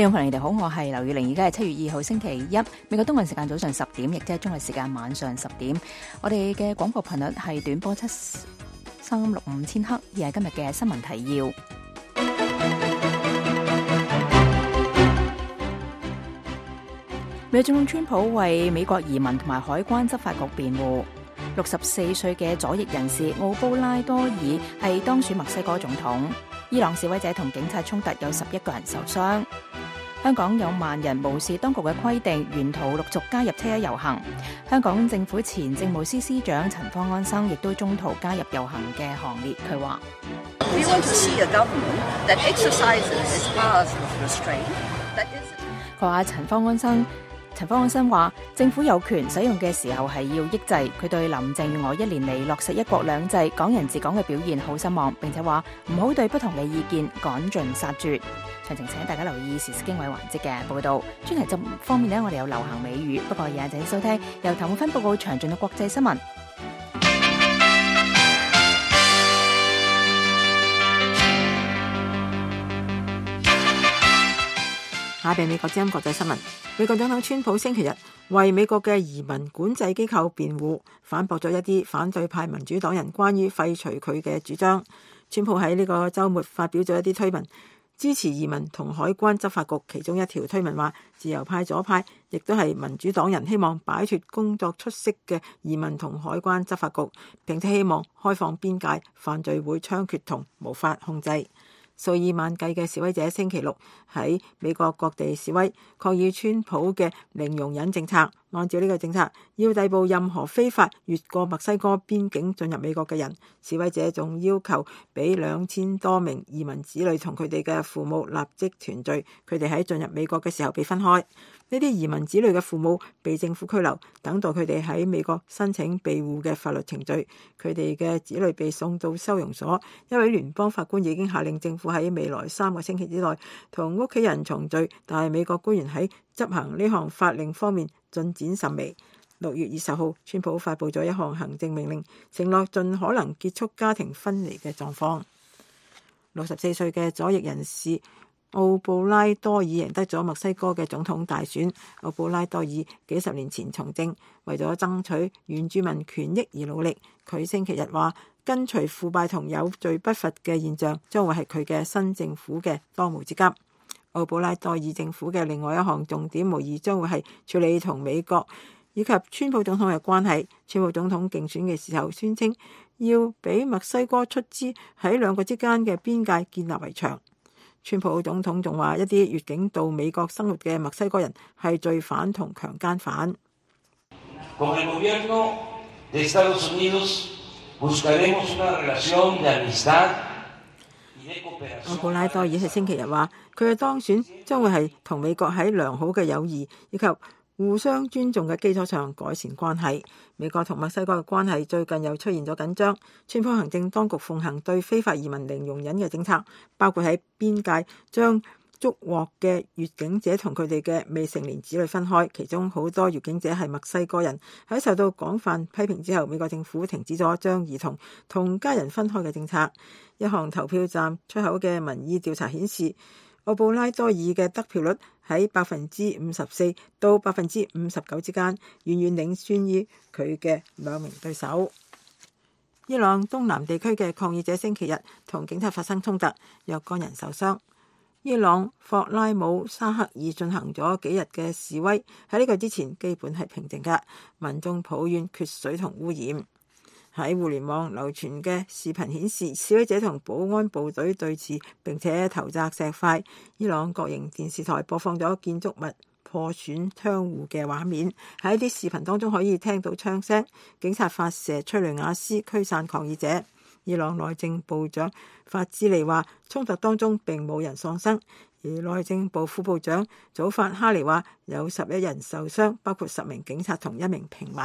聽眾朋友，你哋好，我係劉宇玲，而家係7月2號星期一，美國東岸時間早上10點，亦即係中國時間晚上10點。我哋嘅廣播頻率係短波7365000赫，而係今日嘅新聞提要。美國總統川普為美國移民同埋海關執法局辯護。64歲嘅左翼人士奧布拉多爾係當選墨西哥總統。伊朗示威者同警察衝突，有11個人受傷。香港有萬人無視當局嘅規定，沿途陸續加入車一遊行。香港政府前政務司司長陳方安生亦都中途加入遊行嘅行列。佢話：佢話陳方安生話政府有權使用嘅時候係要抑制。佢對林鄭月娥1年嚟落實一國兩制、港人治港嘅表現好失望，並且話唔好對不同嘅意見趕盡殺絕。詳情請大家留意時事經緯環節嘅報道。專題方面呢，我哋有流行美語，不過而家請收聽由譚永芬報告詳盡嘅國際新聞。下邊美國之音國際新聞。美國總統川普星期日為美國嘅移民管制機構辯護，反駁咗一啲反對派民主黨人關於廢除佢嘅主張。川普喺呢個週末發表咗一啲推文，支持移民同海關執法局。其中一條推文話，自由派左派亦都係民主黨人希望擺脫工作出色嘅移民同海關執法局，並且希望開放邊界，犯罪會猖獗同無法控制。數以萬計嘅示威者星期六喺美國各地示威，抗議川普嘅零容忍政策。按照呢個政策，要逮捕任何非法越過墨西哥邊境進入美國嘅人。示威者仲要求俾2000多名移民子女同佢哋嘅父母立即團聚，佢哋喺進入美國嘅時候被分開。呢啲移民子女嘅父母被政府拘留，等待佢哋喺美國申請庇護嘅法律程序。佢哋嘅子女被送到收容所。一位聯邦法官已經下令政府喺未來3個星期之內同屋企人重聚，但係美國官員喺執行呢項法令方面進展甚微。6月20號，川普發布咗一項行政命令，承諾盡可能結束家庭分離嘅狀況。64歲嘅左翼人士奧布拉多爾贏得咗墨西哥嘅總統大選。奧布拉多爾幾十年前從政，為咗爭取原住民權益而努力。佢星期日話，根除腐敗同有罪不罰嘅現象將會係佢嘅新政府嘅當務之急。奧布拉多爾政府嘅另外一項重點無疑將會係處理同美國以及川普總統嘅關係。川普總統競選嘅時候宣稱要俾墨西哥出資喺兩國之間嘅邊界建立圍牆。川普總統仲話，一啲越境到美國生活嘅墨西哥人係罪犯同強姦犯。奧布拉多爾喺星期日話，佢嘅當選將會係同美國喺良好嘅友誼以及互相尊重嘅基礎上改善關係。美國同墨西哥嘅關係最近又出現咗緊張。川普行政當局奉行對非法移民零容忍嘅政策，包括喺邊界將捉獲嘅越境者同佢哋嘅未成年子女分開，其中好多越境者係墨西哥人。喺受到廣泛批評之後，美國政府停止咗將兒童同家人分開嘅政策。一項投票站出口嘅民意調查顯示，奧布拉多爾嘅得票率喺54%到59%之間，遠遠領先於佢嘅兩名對手。伊朗東南地區嘅抗議者星期日同警察發生衝突，若干人受傷。伊朗霍拉姆沙克爾進行咗幾日嘅示威，喺呢個之前基本係平靜嘅，民眾抱怨缺水同污染。喺互聯網流傳嘅視頻顯示，示威者同保安部隊對峙，並且投擲石塊。伊朗國營電視台播放咗建築物破損窗戶嘅畫面，喺啲視頻當中可以聽到槍聲，警察發射催淚瓦斯驅散抗議者。伊朗內政部長法茲利話，衝突當中並冇人喪生，而內政部副部長祖法哈尼話有11人受傷，包括10名警察同1名平民。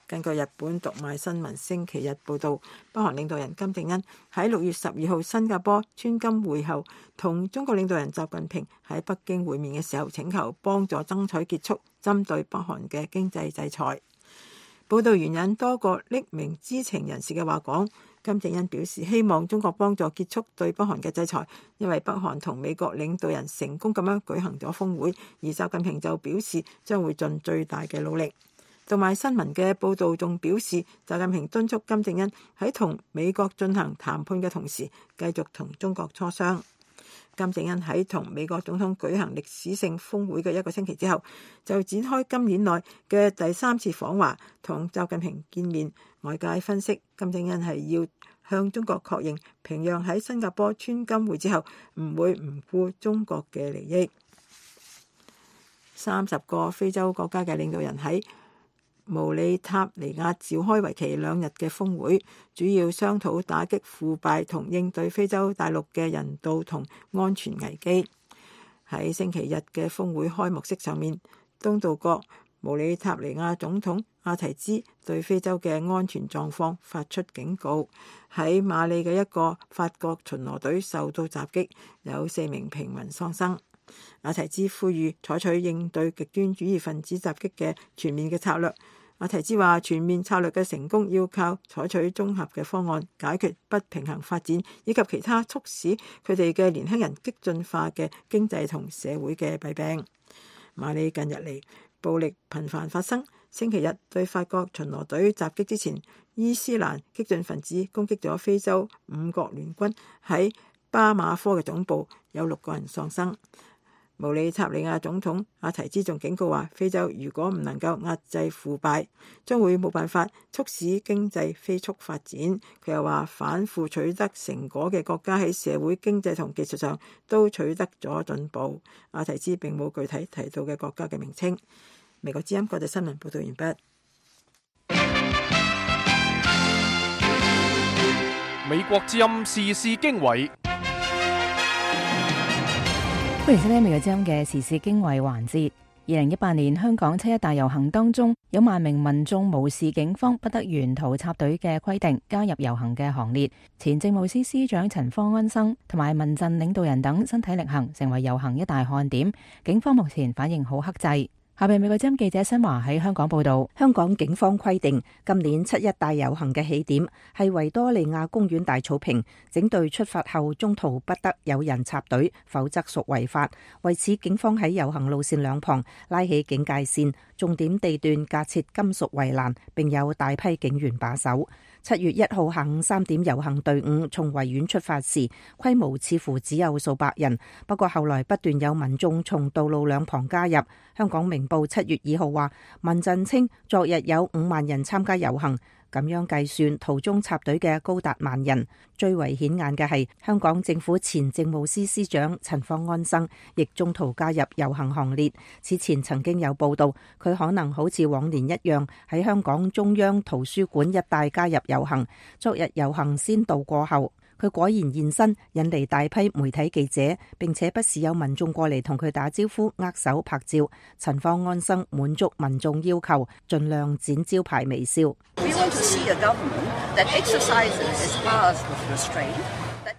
根據日本讀賣新聞星期日報導，北韓領導人金正恩喺6月12號新加坡川金會後，同中國領導人習近平喺北京會面嘅時候，請求幫助爭取結束針對北韓嘅經濟制裁。報導援引多個匿名知情人士嘅話講，金正恩表示希望中國幫助結束對北韓嘅制裁，因為北韓同美國領導人成功咁樣舉行咗峰會，而習近平就表示將會盡最大嘅努力。同埋新聞嘅報導仲表示，習近平敦促金正恩喺同美國進行談判嘅同時，繼續同中國磋商。金正恩喺同美國總統舉行歷史性峰會嘅1個星期之後，就展開今年內嘅第3次訪華，同習近平見面。外界分析，金正恩係要向中國確認平壤喺新加坡川金會之後唔會唔顧中國嘅利益。30個非洲國家嘅領導人喺毛里塔尼亞召開為期2日嘅峰會，主要商討打擊腐敗同應對非洲大陸嘅人道同安全危機。喺星期日嘅峰會開幕式上面，東道國毛里塔尼亞總統阿提茲對非洲嘅安全狀況發出警告。喺馬里嘅一個法國巡邏隊受到襲擊，有4名平民喪生。阿提茲呼籲採取應對極端主義分子襲擊嘅全面嘅策略。阿提茲話，全面策略嘅成功要靠採取綜合嘅方案，解決不平衡發展以及其他促使佢哋嘅年輕人激進化嘅經濟同社會嘅弊病。馬里近日嚟暴力頻繁發生，星期日對法國巡邏隊襲擊之前，伊斯蘭激進分子攻擊咗非洲5國聯軍喺巴馬科嘅總部，有6個人喪生。毛里塔尼亞總統阿提茲仲警告話，非洲如果唔能夠壓制腐敗，將會冇辦法促使經濟飛速發展。佢又話，反腐取得成果嘅國家喺社會、經濟同技術上都取得咗進步。阿提茲並冇具體提到嘅國家嘅名稱。美國之音國際新聞報道完畢。美國之音時事經緯。歡迎收聽美國之音嘅時事經緯環節。2018年香港7·1大遊行當中，有萬名民眾無視警方不得沿途插隊嘅規定，加入遊行嘅行列。前政務司司長陳方安生同埋民陣領導人等身體力行，成為遊行一大看點。警方目前反應好克制。下邊美國之音記者新華喺香港報道，香港警方規定今年7·1大遊行嘅起點係維多利亞公園大草坪，整隊出發後中途不得有人插隊，否則屬違法。為此，警方喺遊行路線兩旁拉起警戒線，重點地段架設金屬圍欄，並有大批警員把守。7月1號下午3點，遊行隊伍從維園出發時，規模似乎只有數百人，不過後來不斷有民眾從道路兩旁加入。香港明報7月2號話，民陣稱昨日有5萬人參加遊行，咁樣計算，途中插隊嘅高達萬人。最為顯眼嘅係香港政府前政務司司長陳方安生，亦中途加入遊行行列。此前曾經有報道，佢可能好似往年一樣喺香港中央圖書館一帶加入遊行。昨日遊行先到過後，佢果然現身，引嚟大批媒體記者，並且不時有民眾過嚟同佢打招呼、握手拍照。陳方安生滿足民眾要求，盡量展招牌微笑。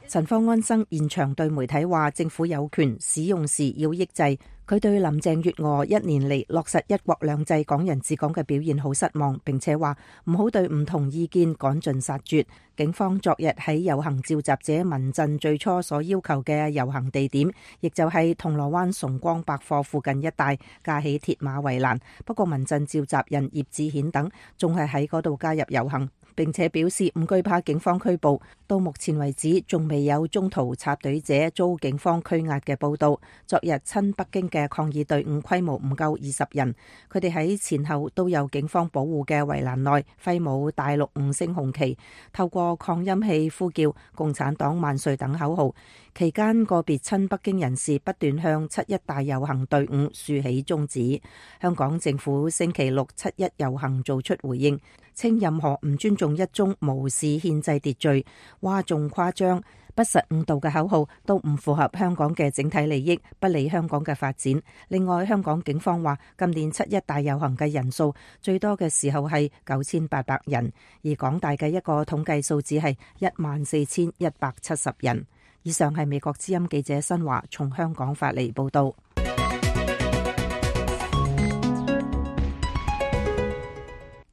陳方安生現場對媒體話，政府有權使用時要抑制。佢對林鄭月娥1年嚟落實一國兩制、港人治港嘅表現好失望，並且話唔好對唔同意見趕盡殺絕。警方昨日喺遊行召集者民陣最初所要求嘅遊行地點，亦就係銅鑼灣崇光百貨附近一帶架起鐵馬圍欄，不過民陣召集人葉志顯等仲係喺嗰度加入遊行，並且表示唔懼怕警方拘捕。到目前為止，仲未有中途插隊者遭警方拘押嘅報道。昨日親北京嘅抗議隊伍規模唔夠20人，佢哋喺前後都有警方保護嘅圍欄內揮舞大陸5星紅旗，透過擴音器呼叫共產黨萬歲等口號。期間個別親北京人士不斷向7·1大遊行隊伍豎起中指。香港政府星期六7·1遊行做出回應，稱任何唔尊重一中、無視憲制秩序、嘩眾誇張、不實誤導嘅口號都唔符合香港嘅整體利益，不利香港嘅發展。另外，香港警方話今年7·1大遊行嘅人數最多嘅時候係9800人，而港大嘅一個統計數字係14170人。以上係美國之音記者新華從香港發嚟報道。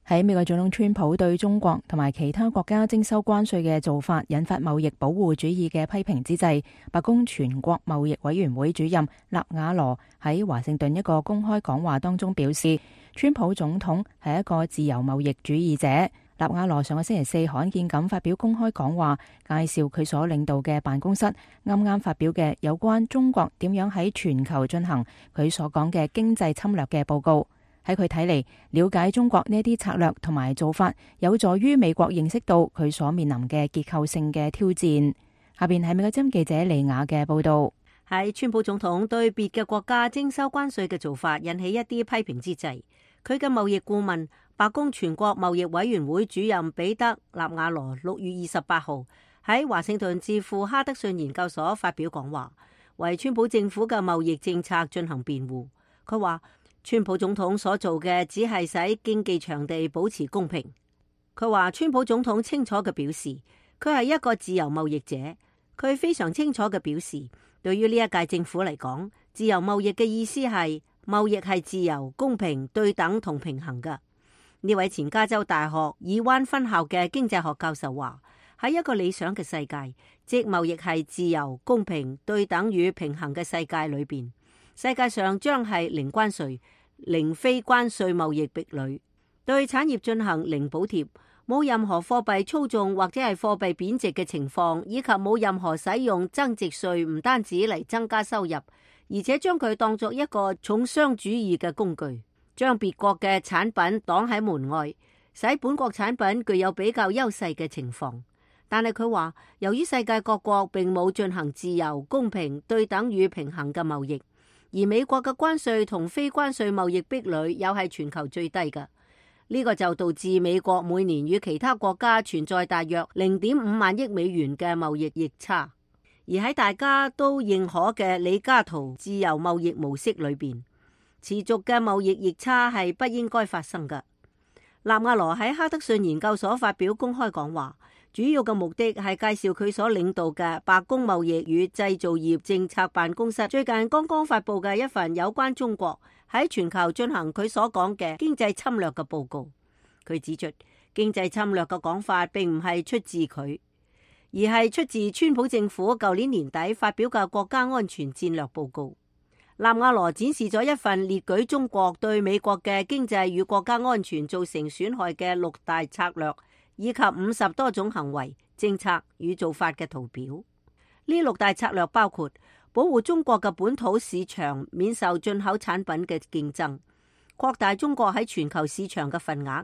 喺美國總統川普對中國同埋其他國家徵收關稅嘅做法引發貿易保護主義嘅批評之際，白宮全國貿易委員會主任納瓦羅喺華盛頓一個公開講話當中表示，川普總統係一個自由貿易主義者。納瓦羅上個星期四罕見咁發表公開講話，介紹佢所領導嘅辦公室啱啱發表嘅有關中國點樣喺全球進行佢所講嘅經濟侵略嘅報告。喺佢睇嚟，了解中國呢啲策略同埋做法，有助於美國認識到佢所面臨嘅結構性嘅挑戰。下邊係美國之音記者李雅嘅報道。喺川普總統對別嘅國家徵收關稅嘅做法引起一啲批評之際，佢嘅貿易顧問白宮全國貿易委員會主任彼得納瓦羅6月28號喺華盛頓智庫哈德遜研究所發表講話，為川普政府嘅貿易政策進行辯護。佢話川普總統所做嘅只係使經濟場地保持公平。佢話川普總統清楚嘅表示，佢係一個自由貿易者。佢非常清楚嘅表示，對於呢一屆政府嚟講，自由貿易嘅意思係貿易係自由、公平、對等同平衡嘅。呢位前加州大學爾灣分校嘅經濟學教授話，喺一個理想嘅世界，即貿易係自由、公平、對等與平衡嘅世界裏邊，世界上將係零關稅、零非關稅貿易壁壘，對產業進行零補貼，冇任何貨幣操縱或者係貨幣貶值嘅情況，以及冇任何使用增值稅唔單止嚟增加收入，而且將佢當作一個重商主義嘅工具，將別國嘅產品擋喺門外，使本國產品具有比較優勢嘅情況。但係佢話，由於世界各國並冇進行自由、公平、對等與平衡嘅貿易，而美國嘅關稅同非關稅貿易壁壘又係全球最低嘅，呢個就導致美國每年與其他國家存在大約0.5萬億美元嘅貿易逆差。而喺大家都認可嘅李嘉圖自由貿易模式裏邊，持續嘅貿易逆差係不應該發生嘅。納瓦羅喺哈德遜研究所發表公開講話，主要嘅目的係介紹佢所領導嘅白宮貿易與製造業政策辦公室最近剛剛發佈嘅一份有關中國喺全球進行佢所講嘅經濟侵略嘅報告。佢指出，經濟侵略嘅講法並唔係出自佢，而係出自川普政府舊年年底發表嘅國家安全戰略報告。納瓦羅展示咗一份列舉中國對美國嘅經濟與國家安全造成損害嘅6大策略，以及50多種行為、政策與做法嘅圖表。呢6大策略包括保護中國嘅本土市場免受進口產品嘅競爭，擴大中國喺全球市場嘅份額，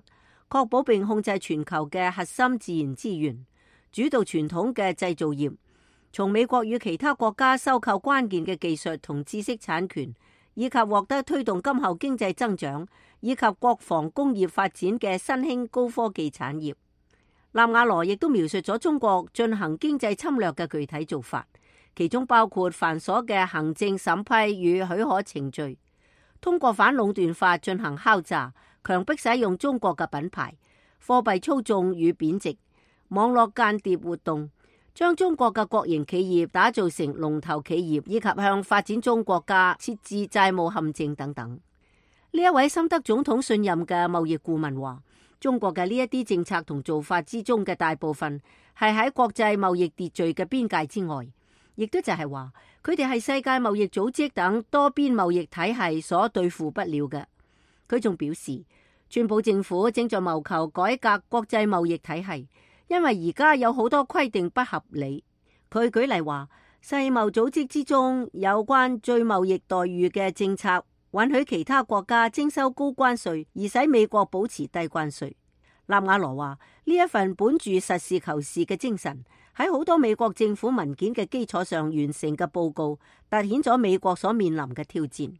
確保並控制全球嘅核心自然資源，主導傳統嘅製造業，從美國與其他國家收購關鍵嘅技術同知識產權，以及獲得推動今後經濟增長以及國防工業發展嘅新興高科技產業。納瓦羅亦都描述咗中國進行經濟侵略嘅具體做法，其中包括繁瑣嘅行政審批與許可程序，通過反壟斷法進行敲詐，強迫使用中國嘅品牌，貨幣操縱與貶值，網絡間諜活動，將中國嘅國營企業打造成龍頭企業，以及向發展中國家設置債務陷阱等等。呢一位深得總統信任嘅貿易顧問話，中國嘅呢一啲政策同做法之中嘅大部分係喺國際貿易秩序嘅邊界之外，亦都就係話佢哋係世界貿易組織等多邊貿易體系所對付不了嘅。佢仲表示，川普政府正在謀求改革國際貿易體系，因為而家有好多規定不合理。佢舉例話，世貿組織之中有關最貿易待遇嘅政策，允許其他國家徵收高關稅，而使美國保持低關稅。納瓦羅話，呢一份本住實事求是嘅精神，喺好多美國政府文件嘅基礎上完成嘅報告，凸顯咗美國所面臨嘅挑戰。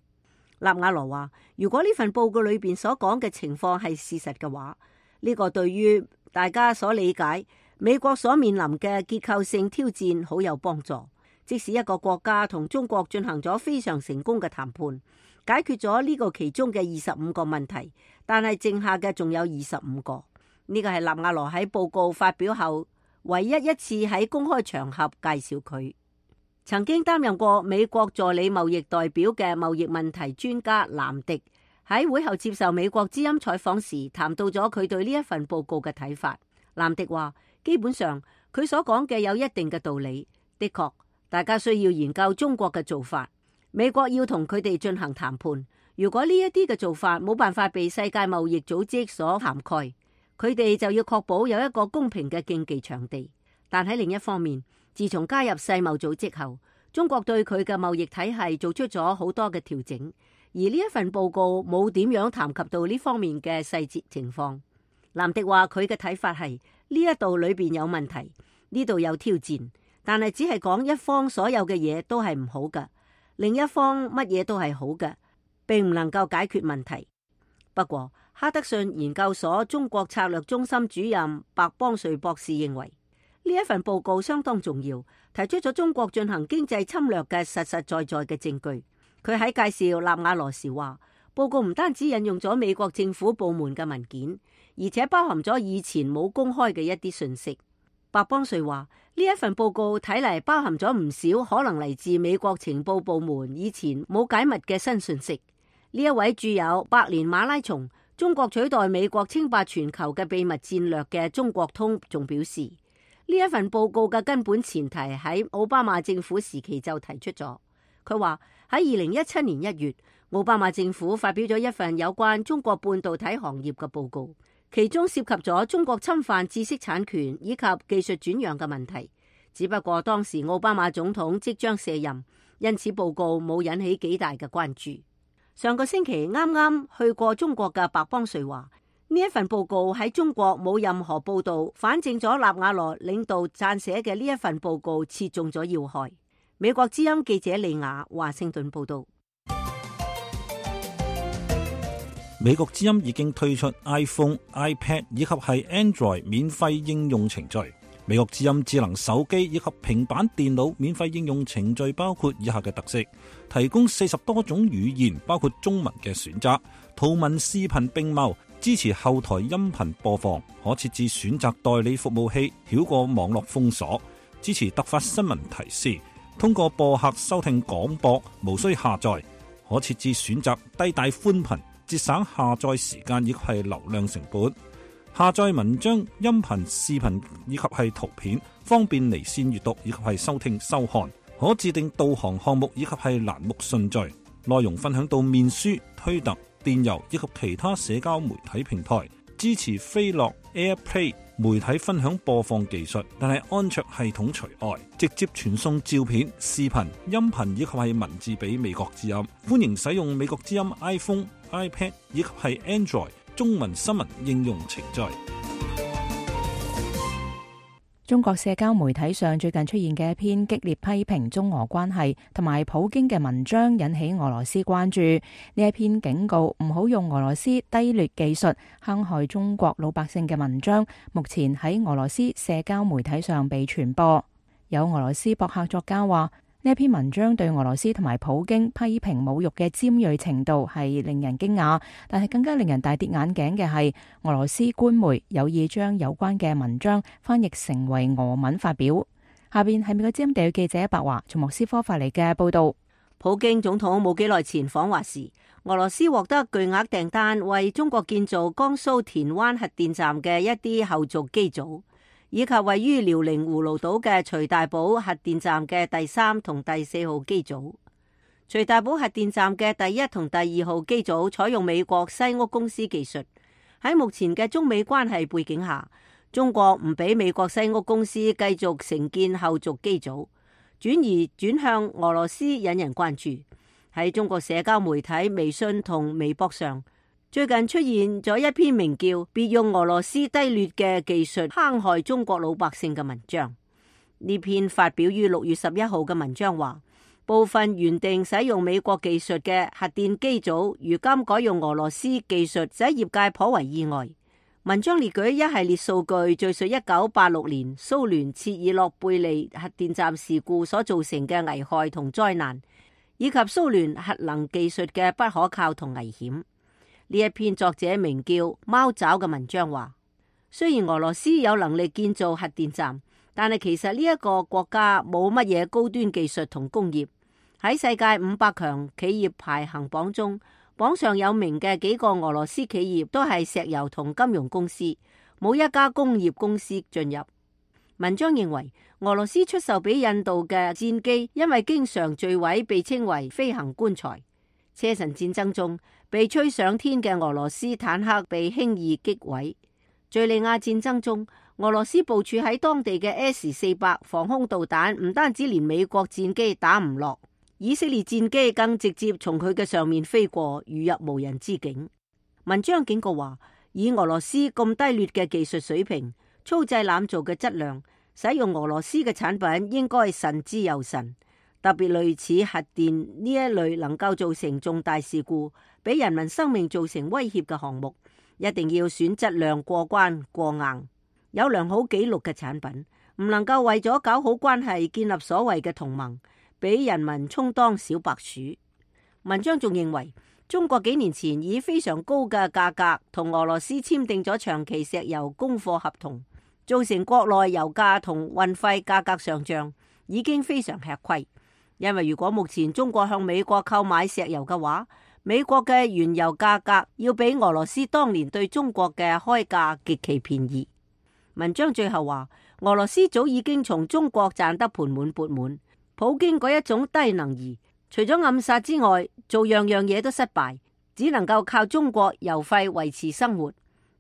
納瓦羅話，如果呢份報告裏邊所講嘅情況係事實嘅話，呢個對於大家所理解美國所面臨嘅結構性挑戰好有幫助。即使一個國家同中國進行咗非常成功嘅談判，解決咗呢個其中嘅25個問題，但係剩下嘅仲有25個。呢個係納瓦羅喺報告發表後唯一次喺公開場合介紹佢。曾經擔任過美國助理貿易代表嘅貿易問題專家蘭迪喺會後接受美國之音採訪時，談到咗佢對呢一份報告嘅睇法。藍迪話，基本上佢所講嘅有一定嘅道理，的確，大家需要研究中國嘅做法。美國要同佢哋進行談判。如果呢一啲嘅做法冇辦法被世界貿易組織所涵蓋，佢哋就要確保有一個公平嘅競技場地。但喺另一方面，自從加入世貿組織後，中國對佢嘅貿易體系做出咗好多嘅調整，而呢一份報告冇點樣談及到呢方面嘅細節情況。藍迪話佢嘅睇法係呢一度裏邊有問題，呢度有挑戰，但係只係講一方所有嘅嘢都係唔好嘅，另一方乜嘢都係好嘅，並唔能夠解決問題。不過，哈德遜研究所中國策略中心主任白邦瑞博士認為，呢一份報告相當重要，提出咗中國進行經濟侵略嘅實實在在嘅證據。佢喺介紹納瓦羅時話，報告唔單止引用咗美國政府部門嘅文件，而且包含咗以前冇公開嘅一啲信息。白邦瑞話，呢一份報告睇嚟包含咗唔少可能嚟自美國情報部門以前冇解密嘅新信息。呢一位著有《百年馬拉松：中國取代美國稱霸全球嘅秘密戰略》嘅中國通仲表示，呢一份報告嘅根本前提喺奧巴馬政府時期就提出咗。佢話喺2017年1月，奧巴馬政府發表咗一份有關中國半導體行業嘅報告，其中涉及咗中國侵犯知識產權以及技術轉讓嘅問題。只不過當時奧巴馬總統即將卸任，因此報告冇引起幾大嘅關注。上個星期啱啱去過中國嘅白邦瑞話，呢一份報告喺中國冇任何報道，反證咗納瓦羅領導撰寫嘅呢一份報告切中咗要害。美國之音記者李雅華盛頓報道。美國之音已經推出 iPhone、iPad 以及係 Android 免費應用程序。美國之音智能手機以及平板電腦免費應用程序包括以下嘅特色：提供40多種語言，包括中文嘅選擇，圖文視頻並茂，支持後台音頻播放，可設置選擇代理服務器，繞過網絡封鎖，支持突發新聞提示，通過播客收聽廣播，無需下載，可設置選擇低帶寬頻，節省下載時間以及係流量成本。下載文章、音頻、視頻以及係圖片，方便離線閱讀以及係收聽收看。可自定導航項目以及係欄目順序。內容分享到面書、推特、電郵以及其他社交媒體平台。支持飛樂 AirPlay 媒體分享播放技術，但係安卓系統除外。直接傳送照片、視頻、音頻以及係文字俾美國之音。歡迎使用美國之音 iPhone、iPad 以及係 Android中文新聞應用程序。中國社交媒體上最近出現嘅一篇激烈批評中俄關係同埋普京嘅文章引起俄羅斯關注。呢一篇警告唔好用俄羅斯低劣技術坑害中國老百姓嘅文章，目前喺俄羅斯社交媒體上被傳播。有俄羅斯博客作家話，呢一篇文章對俄羅斯同埋普京批評侮辱嘅尖銳程度係令人驚訝，但係更加令人大跌眼鏡嘅係俄羅斯官媒有意將有關嘅文章翻譯成為俄文發表。下邊係美國之音地區記者白華從莫斯科發嚟嘅報道。普京總統冇幾耐前訪華時，俄羅斯獲得巨額訂單為中國建造江蘇田灣核電站嘅一啲後續機組，以及位於遼寧葫蘆島嘅徐大寶核電站嘅第3同第4號機組。徐大寶核電站嘅第1同第2號機組採用美國西屋公司技術。喺目前嘅中美關係背景下，中國唔俾美國西屋公司繼續承建後續機組，轉向俄羅斯，引人關注。喺中國社交媒體微信同微博上，最近出現咗一篇名叫《別用俄羅斯低劣嘅技術坑害中國老百姓》嘅文章。呢篇發表於6月11號嘅文章話，部分原定使用美國技術嘅核電機組，如今改用俄羅斯技術，使業界頗為意外。文章列舉一系列數據，敘述1986年蘇聯切爾諾貝利核電站事故所造成嘅危害同災難，以及蘇聯核能技術嘅不可靠同危險。呢一篇作者名叫貓爪嘅文章話，雖然俄羅斯有能力建造核電站，但係其實呢一個國家冇乜嘢高端技術同工業。喺世界500強企業排行榜中，榜上有名嘅幾個俄羅斯企業都係石油同金融公司，冇一家工業公司進入。文章認為，俄羅斯出售俾印度嘅戰機因為經常墜毀，被稱為飛行棺材。車臣戰爭中被吹上天嘅俄羅斯坦克被輕易擊毀。敘利亞戰爭中，俄羅斯部署喺當地嘅 S-400防空導彈唔單止連美國戰機打唔落，以色列戰機更直接從佢嘅上面飛過，如入無人之境。文章警告話，以俄羅斯咁低劣嘅技術水平、粗製濫造嘅質量，使用俄羅斯嘅產品應該慎之又慎。特別類似核電呢一類能夠造成重大事故、俾人民生命造成威脅嘅項目，一定要選質量過關過硬、有良好紀錄嘅產品，唔能夠為咗搞好關係、建立所謂嘅同盟，俾人民充當小白鼠。文章仲認為，中國幾年前以非常高嘅價格同俄羅斯簽訂咗長期石油供貨合同，造成國內油價同運費價格上漲，已經非常吃虧。因為如果目前中國向美國購買石油嘅話，美國嘅原油價格要比俄羅斯當年對中國嘅開價極其便宜。文章最後話，俄羅斯早已經從中國賺得盆滿缽滿，普京嗰一種低能兒，除咗暗殺之外，做樣樣嘢都失敗，只能夠靠中國油費維持生活。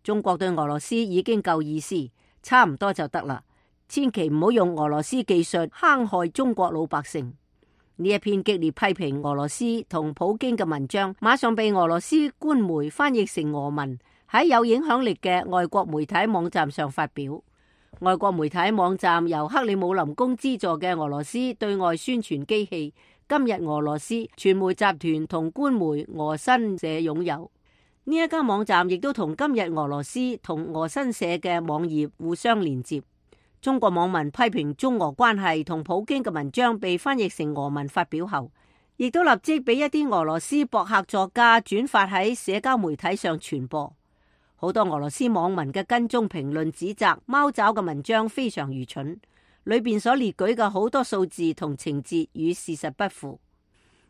中國對俄羅斯已經夠意思，差唔多就得啦，千祈唔好用俄羅斯技術坑害中國老百姓。呢一篇激烈批評俄羅斯同普京嘅文章，馬上被俄羅斯官媒翻譯成俄文，喺有影響力嘅外國媒體網站上發表。外國媒體網站由克里姆林宮資助嘅俄羅斯對外宣傳機器今日俄羅斯傳媒集團同官媒俄新社擁有。呢一家網站亦都同今日俄羅斯同俄新社嘅網頁互相連接。中國網民批評中俄關係同普京嘅文章被翻譯成俄文發表後，亦都立即俾一啲俄羅斯博客作家轉發喺社交媒體上傳播。好多俄羅斯網民嘅跟蹤評論指責貓爪嘅文章非常愚蠢，裏邊所列舉嘅好多數字同情節與事實不符。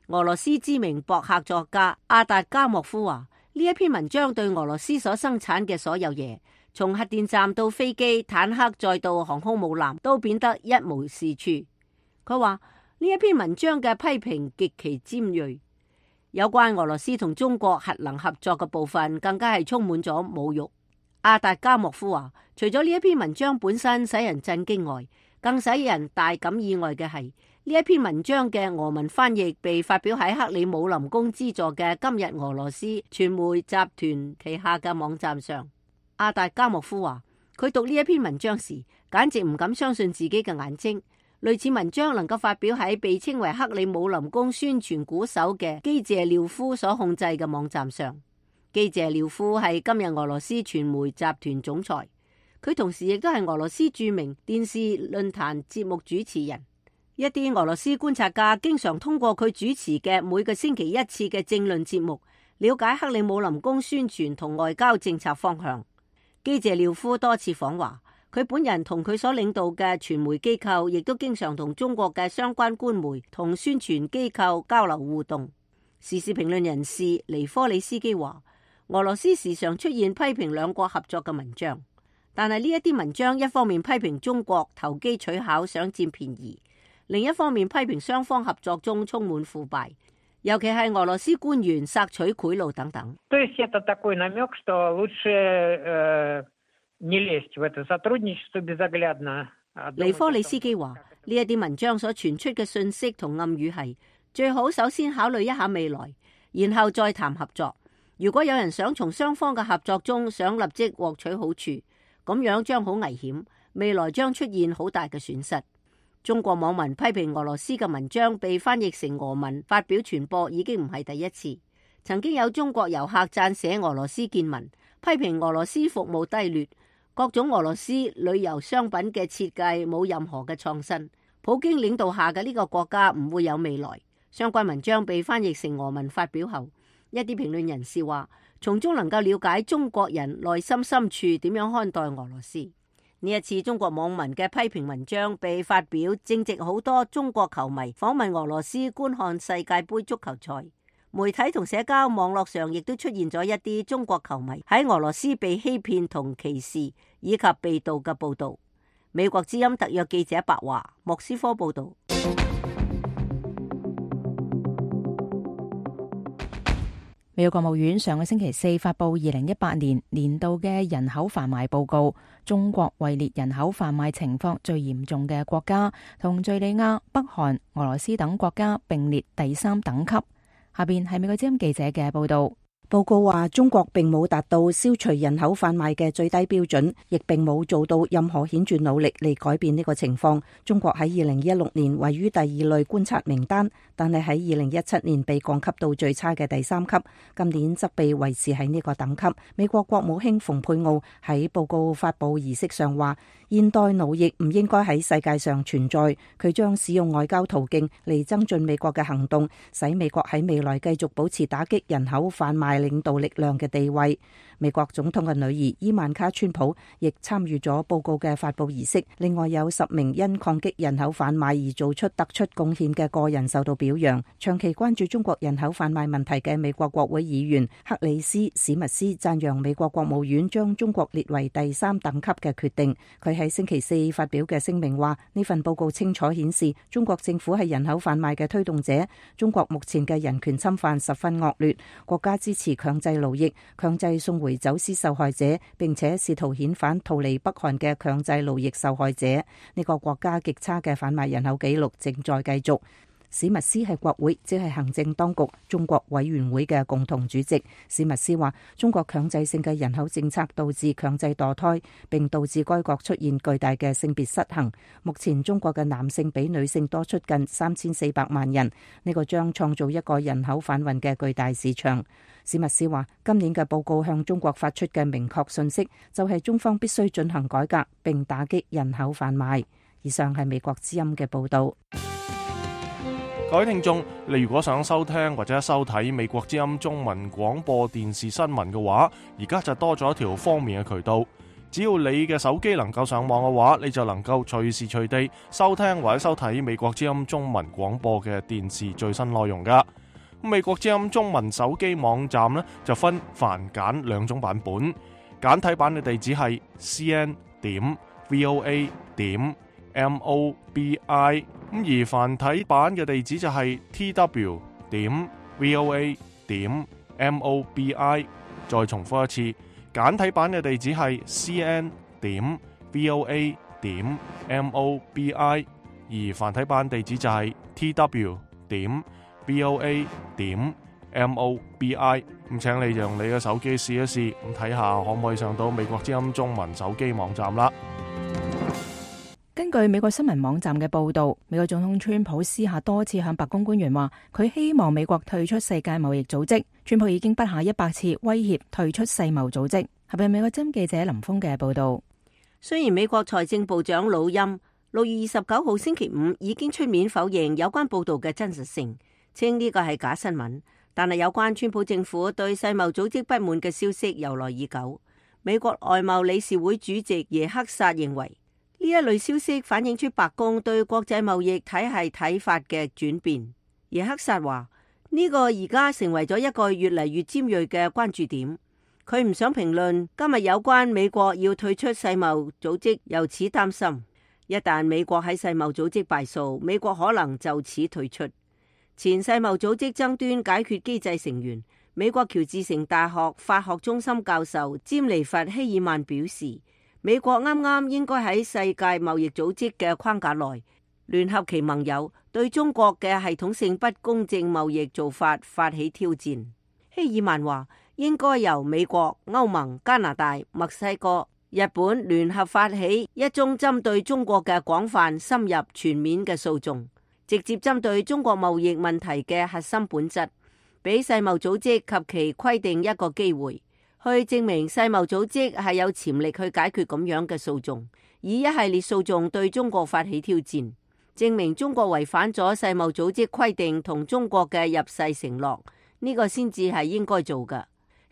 俄羅斯知名博客作家阿達加莫夫話，呢一篇文章對俄羅斯所生產嘅所有嘢，從核電站到飛機、坦克，再到航空母艦，都變得一無是處。佢話呢一篇文章嘅批評極其尖銳，有關俄羅斯同中國核能合作嘅部分，更加係充滿咗侮辱。阿達加莫夫話，除咗呢一篇文章本身使人震驚外，更使人大感意外嘅係，呢一篇文章嘅俄文翻譯被發表喺克里姆林宮資助嘅今日俄羅斯傳媒集團旗下嘅網站上。阿達加莫夫話，佢讀呢一篇文章時，簡直唔敢相信自己嘅眼睛。類似文章能夠發表喺被稱為克里姆林宮宣傳鼓手嘅基謝廖夫所控制嘅網站上。基謝廖夫係今日俄羅斯傳媒集團總裁，佢同時亦都係俄羅斯著名電視論壇節目主持人。一啲俄羅斯觀察家經常通過佢主持嘅每個星期一次嘅政論節目，了解克里姆林宮宣傳同外交政策方向。基謝廖夫多次訪華，佢本人同佢所領導嘅傳媒機構亦都經常同中國嘅相關官媒同宣傳機構交流互動。時事評論人士尼科里斯基話，俄羅斯時常出現批評兩國合作嘅文章，但係呢一啲文章一方面批評中國投機取巧想佔便宜，另一方面批評雙方合作中充滿腐敗，尤其係俄羅斯官員索取賄賂等等。尼科里斯基話，呢一啲文章所傳出嘅信息同暗語係，最好首先考慮一下未來，然後再談合作。如果有人想從雙方嘅合作中想立即獲取好處，咁樣將好危險，未來將出現好大嘅損失。中國網民批評俄羅斯嘅文章被翻譯成俄文發表傳播已經唔係第一次。曾經有中國遊客撰寫俄羅斯見聞，批評俄羅斯服務低劣，各種俄羅斯旅遊商品嘅設計冇任何嘅創新，普京領導下嘅呢個國家唔會有未來。相關文章被翻譯成俄文發表後，一啲評論人士話，從中能夠了解中國人內心深處點樣看待俄羅斯。呢一次中國網民嘅批評文章被發表，正值好多中國球迷訪問俄羅斯觀看世界盃足球賽。媒體同社交網絡上亦都出現咗一啲中國球迷喺俄羅斯被欺騙同歧視以及被盜嘅報道。美國之音特約記者白華，莫斯科報道。美國國務院上個星期四發布2018年年度嘅人口販賣報告，中國位列人口販賣情況最嚴重嘅國家，同敘利亞、北韓、俄羅斯等國家並列第3等級。下邊係美國之音記者嘅報道。報告話，中國並冇達到消除人口販賣嘅最低標準，亦並冇做到任何顯著努力嚟改變呢個情況。中國喺2016年位於第2類觀察名單，但係喺2017年被降級到最差嘅第3級，今年則被維持喺呢個等級。美國國務卿蓬佩奧喺報告發佈儀式上話，現代奴役唔應該喺世界上存在，佢將使用外交途徑嚟增進美國嘅行動，使美國喺未來繼續保持打擊人口販賣領導力量嘅地位。美國總統嘅女兒伊萬卡川普亦參與咗報告嘅發佈儀式。另外有10名因抗擊人口販賣而做出突出貢獻嘅個人受到表揚。長期關注中國人口販賣問題嘅美國國會議員克里斯史密斯讚揚美國國務院將中國列為第3等級嘅決定。佢喺星期四發表嘅聲明話，呢份報告清楚顯示中國政府係人口販賣嘅推動者。中國目前嘅人權侵犯十分惡劣，國家支持強制勞役、強制送回走私受害者，並且試圖遣返逃離北韓嘅強制勞役受害者。呢個國家極差嘅販賣人口紀錄正在繼續。史密斯係國會，即係行政當局中國委員會嘅共同主席。史密斯話，中國強制性嘅人口政策導致強制墮胎，並導致該國出現巨大嘅性別失衡。目前中國嘅男性比女性多出近3400萬人，呢個將創造一個人口販運嘅巨大市場。史密斯話，今年嘅報告向中國發出嘅明確信息就係中方必須進行改革，並打擊人口販賣。以上係美國之音嘅報道。各位聽眾，你如果想收聽或者收睇美國之音中文廣播電視新聞嘅話，而家就多咗一條方便嘅渠道。只要你嘅手機能夠上網嘅話，你就能夠隨時隨地收聽或者收睇美國之音中文廣播嘅電視最新內容噶。美國之音中文手機網站呢，就分繁簡2種版本，簡體版嘅地址係 cn.voa.mobi， 而繁體版嘅地址就係 tw.voa.mobi。 再重複一次，簡體版嘅地址係 cn.voa.mobi， 而繁體版地址就係 tw.voa.mobi。 咁請你用你嘅手機試一試，咁睇下可唔可以上到美國之音中文手機網站啦。根據美國新聞網站嘅報導，美國總統川普私下多次向白宮官員話，佢希望美國退出世界貿易組織。川普已經不下100次威脅退出世貿組織。係咪美國之音記者林峰嘅報導？雖然美國財政部長魯欽6月29號星期五已經出面否認有關報導嘅真實性，稱呢個係假新聞，但係有關川普政府對世貿組織不滿嘅消息由來已久。美國外貿理事會主席耶克薩認為，呢一類消息反映出白宮對國際貿易體系睇法嘅轉變。耶克薩話，呢個而家成為咗一個越嚟越尖銳嘅關注點。佢唔想評論今日有關美國要退出世貿組織，由此擔心一旦美國喺世貿組織敗訴，美國可能就此退出。前世貿組織爭端解決機制成員、美國喬治城大學法學中心教授詹尼弗希爾曼表示，美國啱啱應該喺世界貿易組織嘅框架內聯合其盟友，對中國嘅系統性不公正貿易做法發起挑戰。希爾曼話，應該由美國、歐盟、加拿大、墨西哥、日本聯合發起一宗針對中國嘅廣泛、深入、全面嘅訴訟，直接針對中國貿易問題嘅核心本質，俾世貿組織及其規定一個機會，去證明世貿組織係有潛力去解決咁樣嘅訴訟，以一系列訴訟對中國發起挑戰，證明中國違反咗世貿組織規定同中國嘅入世承諾，呢個先至係應該做嘅。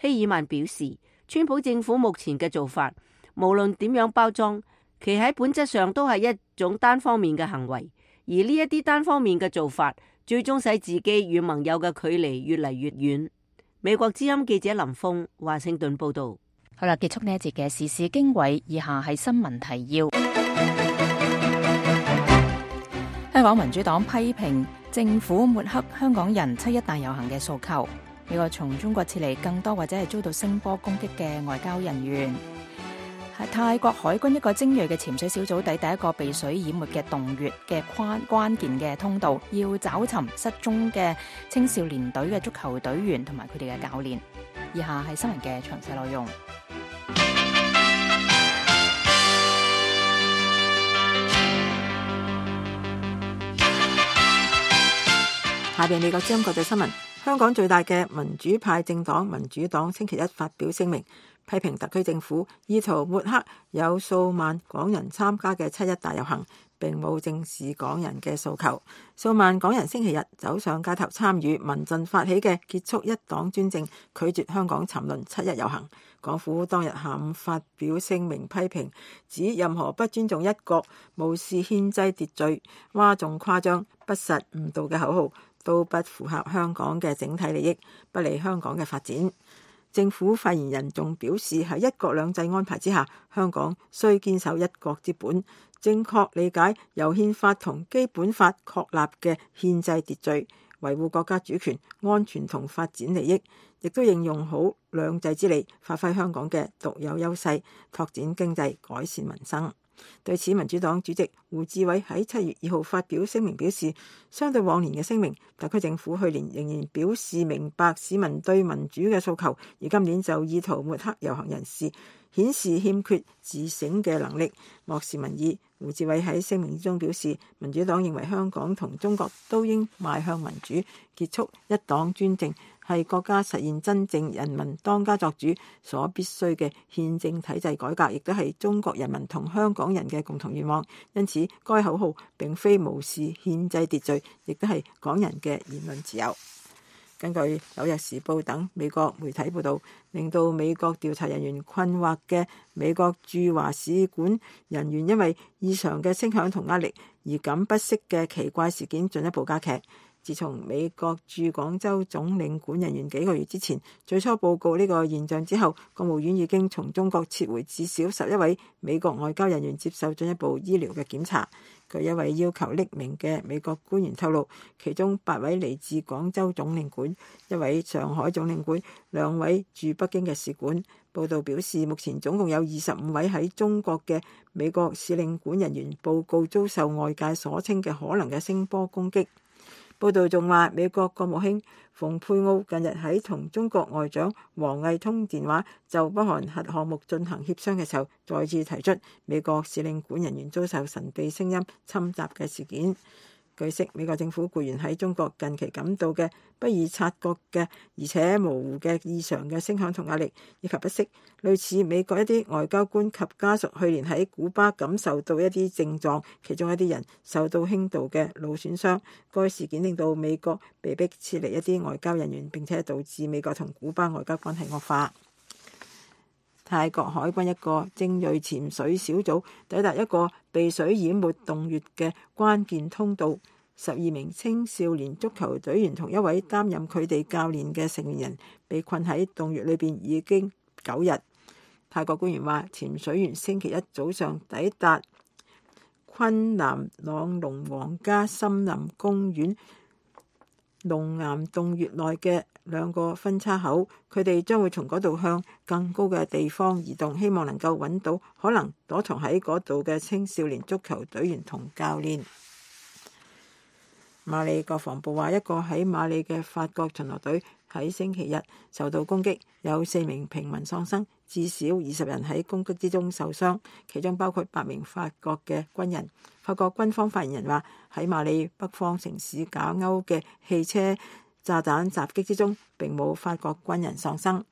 希爾曼表示，川普政府目前嘅做法，無論點樣包裝，其喺本質上都係一種單方面嘅行為，而呢一啲單方面嘅做法，最終使自己與盟友嘅距離越嚟越遠。美國之音記者林峰華盛頓報道。好啦，結束呢一節嘅時事經緯，以下係新聞提要。香港民主黨批評政府抹黑香港人七一大遊行嘅訴求。美國從中國撤離更多或者係遭到聲波攻擊嘅外交人員。泰國海軍一個精銳嘅潛水小組第一個被水淹沒嘅洞穴嘅關鍵嘅通道，要找尋失蹤嘅青少年隊嘅足球隊員同埋佢哋嘅教練。以下係新聞嘅詳細內容。下邊美國之音國際新聞，香港最大嘅民主派政黨民主黨星期一發表聲明，批評特區政府意圖抹黑有數萬港人參加嘅七一大遊行，並冇正視港人嘅訴求。數萬港人星期日走上街頭參與民陣發起嘅結束一黨專政、拒絕香港沉淪七一遊行。港府當日下午發表聲明批評，指任何不尊重一國、無視憲制秩序、嘩眾誇張、不實誤導嘅口號，都不符合香港嘅整體利益，不利香港嘅發展。政府發言人仲表示，喺一國兩制安排之下，香港須堅守一國之本，正確理解由憲法同基本法確立嘅憲制秩序，維護國家主權、安全同發展利益，亦都應用好兩制之利，發揮香港嘅獨有優勢，拓展經濟，改善民生。對此，民主黨主席胡志偉喺7月2號發表聲明表示，相對往年嘅聲明，特區政府去年仍然表示明白市民對民主嘅訴求，而今年就意圖抹黑遊行人士，顯示欠缺自省嘅能力，漠視民意。胡志偉喺聲明中表示，民主黨認為香港同中國都應邁向民主，結束一黨專政，係國家實現真正人民當家作主所必須嘅憲政體制改革，亦都係中國人民同香港人嘅共同願望。因此，該口號並非無視憲制秩序，亦都係港人嘅言論自由。根據《紐約時報》等美國媒體報導，令到美國調查人員困惑嘅美國駐華使館人員因為異常嘅聲響同壓力而感不適嘅奇怪事件進一步加劇。自從美國駐廣州總領館人員幾個月之前最初報告呢個現象之後，國務院已經從中國撤回至少11位美國外交人員接受進一步醫療嘅檢查。據一位要求匿名嘅美國官員透露，其中8位嚟自廣州總領館，1位上海總領館，2位駐北京嘅使館。報道表示，目前總共有25位喺中國嘅美國使領館人員報告遭受外界所稱嘅可能嘅聲波攻擊。報道仲話，美國國務卿蓬佩奧近日喺同中國外長王毅通電話，就北韓核項目進行協商嘅時候，再次提出美國使領館人員遭受神秘聲音侵襲嘅事件。據悉，美國政府僱員喺中國近期感到嘅不易察覺嘅而且模糊嘅異常嘅聲響同壓力，以及不適，類似美國一啲外交官及家屬去年喺古巴感受到一啲症狀，其中一啲人受到輕度嘅腦損傷。該事件令到美國被迫撤離一啲外交人員，並且導致美國同古巴外交關係惡化。泰國海軍一個精銳潛水小組抵達一個被水淹沒洞穴嘅關鍵通道，12名青少年足球隊員同1位擔任佢哋教練嘅成年人被困喺洞穴裏邊已經9日。泰國官員話，潛水員星期一早上抵達昆南朗龍皇家森林公園龍岩洞穴內嘅2個分叉口，佢哋將會從嗰度向更高嘅地方移動，希望能夠揾到可能躲藏喺嗰度嘅青少年足球隊員同教練。馬里國防部話，一個喺馬里嘅法國巡邏隊喺星期日受到攻擊，有4名平民喪生，至少20人喺攻擊之中受傷，其中包括8名法國嘅軍人。法國軍方發言人話，喺馬里北方城市賈歐嘅汽車炸彈襲擊之中，並冇法國軍人喪生。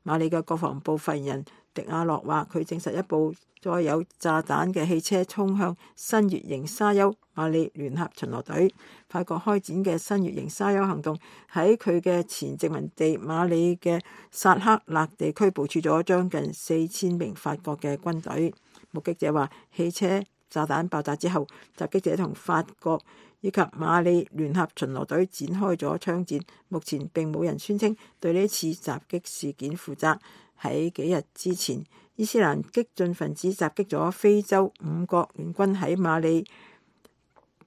馬里嘅國防部發言人迪亞洛話，佢證實一部載有炸彈嘅汽車衝向新月型沙丘馬里聯合巡邏隊。法國開展嘅新月型沙丘行動喺佢嘅前殖民地馬里嘅薩克勒地區部署咗將近4000名法國嘅軍隊。目擊者話，汽車炸彈爆炸之後，襲擊者同法國以及馬里聯合巡邏隊展開咗槍戰。目前並冇人宣稱對呢次襲擊事件負責。喺幾日之前，伊斯蘭激進分子襲擊咗非洲5國聯軍喺馬里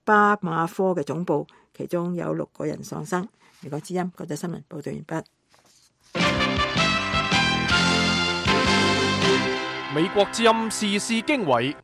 巴馬科嘅總部，其中有6個人喪生。美國之音國際新聞報道完畢。美國之音時事經緯，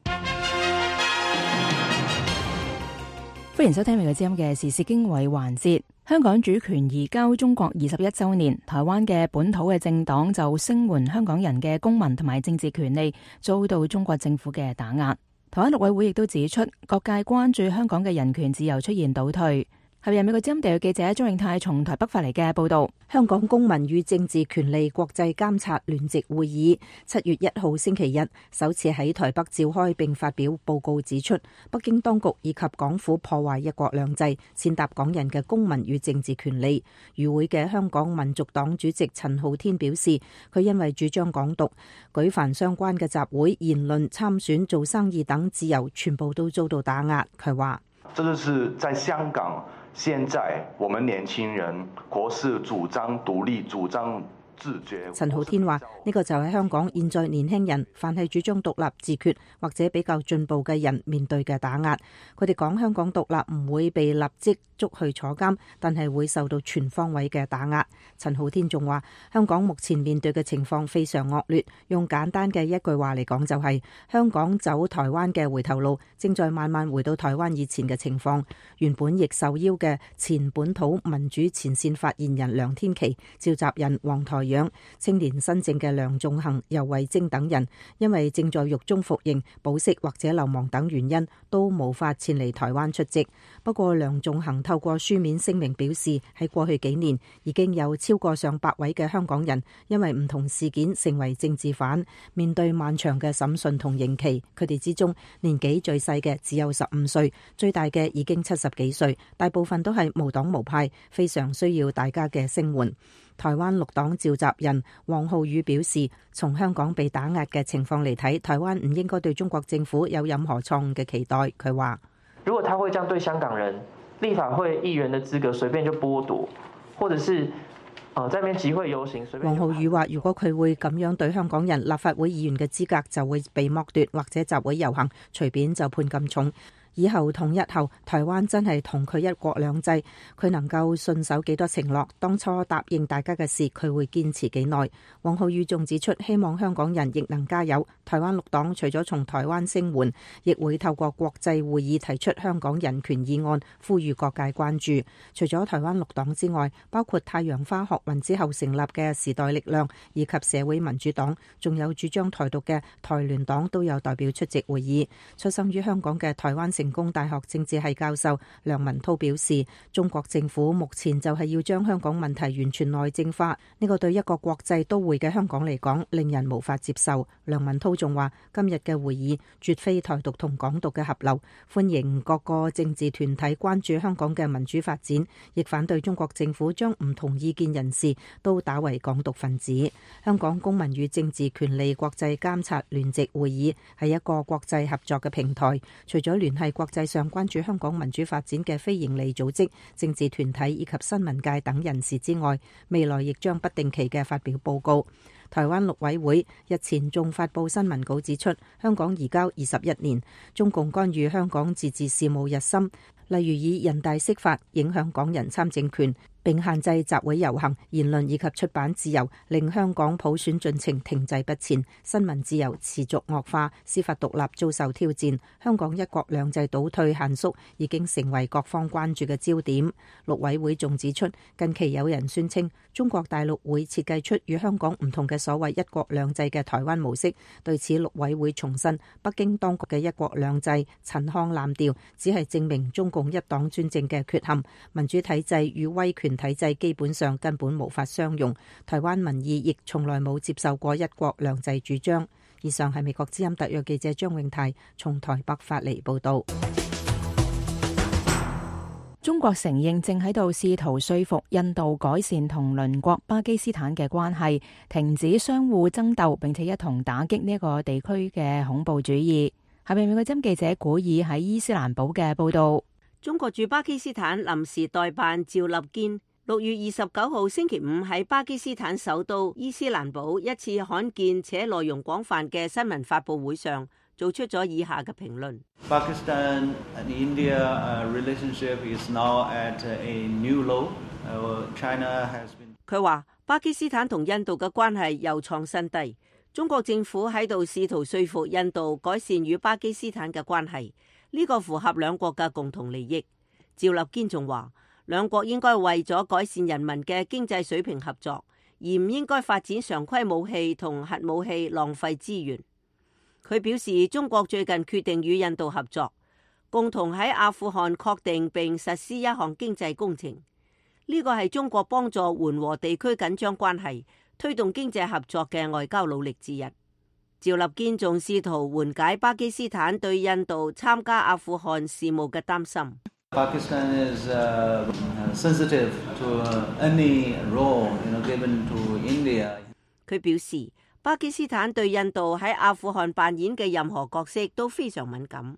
歡迎收聽美國之音嘅時事經緯環節。香港主權移交中國21週年，台灣嘅本土嘅政黨就聲援香港人嘅公民同埋政治權利遭到中國政府嘅打壓。台灣陸委會亦都指出，各界關注香港嘅人權自由出現倒退。後日美國之音地約記者張永泰從台北發嚟嘅報道。香港公民與政治權利國際監察聯席會議7月1號星期日首次喺台北召開，並發表報告指出，北京當局以及港府破壞一國兩制，踐踏港人嘅公民與政治權利。與會嘅香港民族黨主席陳浩天表示，佢因為主張港獨，舉凡相關嘅集會、言論、參選、做生意等自由全部都遭到打壓。佢話：這就是在香港，現在我們年輕人國是主張獨立，主張自決。陳浩天話：呢個就係香港現在年輕人凡係主張獨立自決或者比較進步嘅人面對嘅打壓。佢哋講香港獨立唔會被立即捉去坐監，但係會受到全方位嘅打壓。陳浩天仲話：香港目前面對嘅情況非常惡劣，用簡單嘅一句話嚟講就係香港走台灣嘅回頭路，正在慢慢回到台灣以前嘅情況。原本亦受邀嘅前本土民主前線發言人梁天琦、召集人黃台仰、青年新政嘅梁頌恆、游蕙禎等人，因為正在獄中服刑、保釋或者流亡等原因，都無法前嚟台灣出席。不過梁頌恆透過書面聲明表示，喺過去幾年已經有超過上百位嘅香港人因為唔同事件成為政治犯，面對漫長嘅審訊同刑期。佢哋之中年紀最細嘅只有15歲，最大嘅已經70幾歲，大部分都係無黨無派，非常需要大家嘅聲援。台灣綠黨召集人王浩宇表示，從香港被打壓嘅情況嚟睇，台灣唔應該對中國政府有任何錯誤嘅期待。佢話：如果他會這樣對香港人，立法會議員的資格隨便就剝奪，或者是在那邊集會遊行隨便。王浩宇話：如果佢會咁樣對香港人，立法會議員嘅資格就會被剝奪，或者集會遊行隨便就判咁重。以後統一後，台灣真係同佢一國兩制，佢能夠信守幾多承諾？當初答應大家嘅事，佢會堅持幾耐？王浩宇仲指出，希望香港人亦能加油。台灣綠黨除咗從台灣聲援，亦會透過國際會議提出香港人權議案，呼籲各界關注。除咗台灣綠黨之外，包括太陽花學運之後成立嘅時代力量以及社會民主黨，仲有主張台獨嘅台聯黨都有代表出席會議。出生於香港嘅台灣成功大學政治系教授梁文韜表示，中國政府目前就係要將香港問題完全內政化，呢個對一個國際都會嘅香港嚟講，令人無法接受。梁文韜仲話，今日嘅會議絕非台獨同港獨嘅合流，歡迎各個政治團體關注香港嘅民主發展，亦反對中國政府將唔同意見人士都打為港獨分子。香港公民與政治權利國際監察聯席會議係一個國際合作嘅平台，除咗聯繫國際上關注香港民主發展嘅非營利組織、政治團體以及新聞界等人士之外，未來亦將不定期嘅發表報告。台灣陸委會日前仲發布新聞稿指出，香港移交21年，中共干預香港自治事務日深，例如以人大釋法影響港人參政權，並限制集會遊行、言論以及出版自由，令香港普選進程停滯不前，新聞自由持續惡化，司法獨立遭受挑戰，香港一國兩制倒退限縮已經成為各方關注嘅焦點。陸委會仲指出，近期有人宣稱中國大陸會設計出與香港唔同嘅所謂一國兩制嘅台灣模式，對此陸委會重申，北京當局嘅一國兩制陳腔濫調，只係證明中共一黨專政嘅缺陷，民主體制與威權體制基本上根本無法相容，台灣民意亦從來冇接受過一國兩制主張。以上係美國之音特約記者張永泰從台北發嚟報道。中國承認正喺度試圖說服印度改善同鄰國巴基斯坦嘅關係，停止相互爭鬥，並且一同打擊呢一個地區嘅恐怖主義。下面美國之音記者古爾喺伊斯蘭堡嘅報道。中國駐巴基斯坦臨時代辦趙立堅6月29號星期五喺巴基斯坦首都伊斯蘭堡一次罕見且內容廣泛嘅新聞發佈會上，做出咗以下嘅評論。Pakistan and India relationship is now at a new low. China has been. 佢話巴基斯坦同印度嘅關係又創新低，中國政府喺度試圖說服印度改善與巴基斯坦嘅關係，呢個符合兩國嘅共同利益。趙立堅仲話，兩國應該為咗改善人民嘅經濟水平合作，而唔應該發展常規武器同核武器浪費資源。佢表示，中國最近決定與印度合作，共同喺阿富汗確定並實施一項經濟工程。呢個係中國幫助緩和地區緊張關係、推動經濟合作嘅外交努力之一。趙立堅仲試圖緩解巴基斯坦對印度參加阿富汗事務嘅擔心。Pakistan is sensitive to any role given to India. 佢表示，巴基斯坦對印度喺阿富汗扮演嘅任何角色都非常敏感。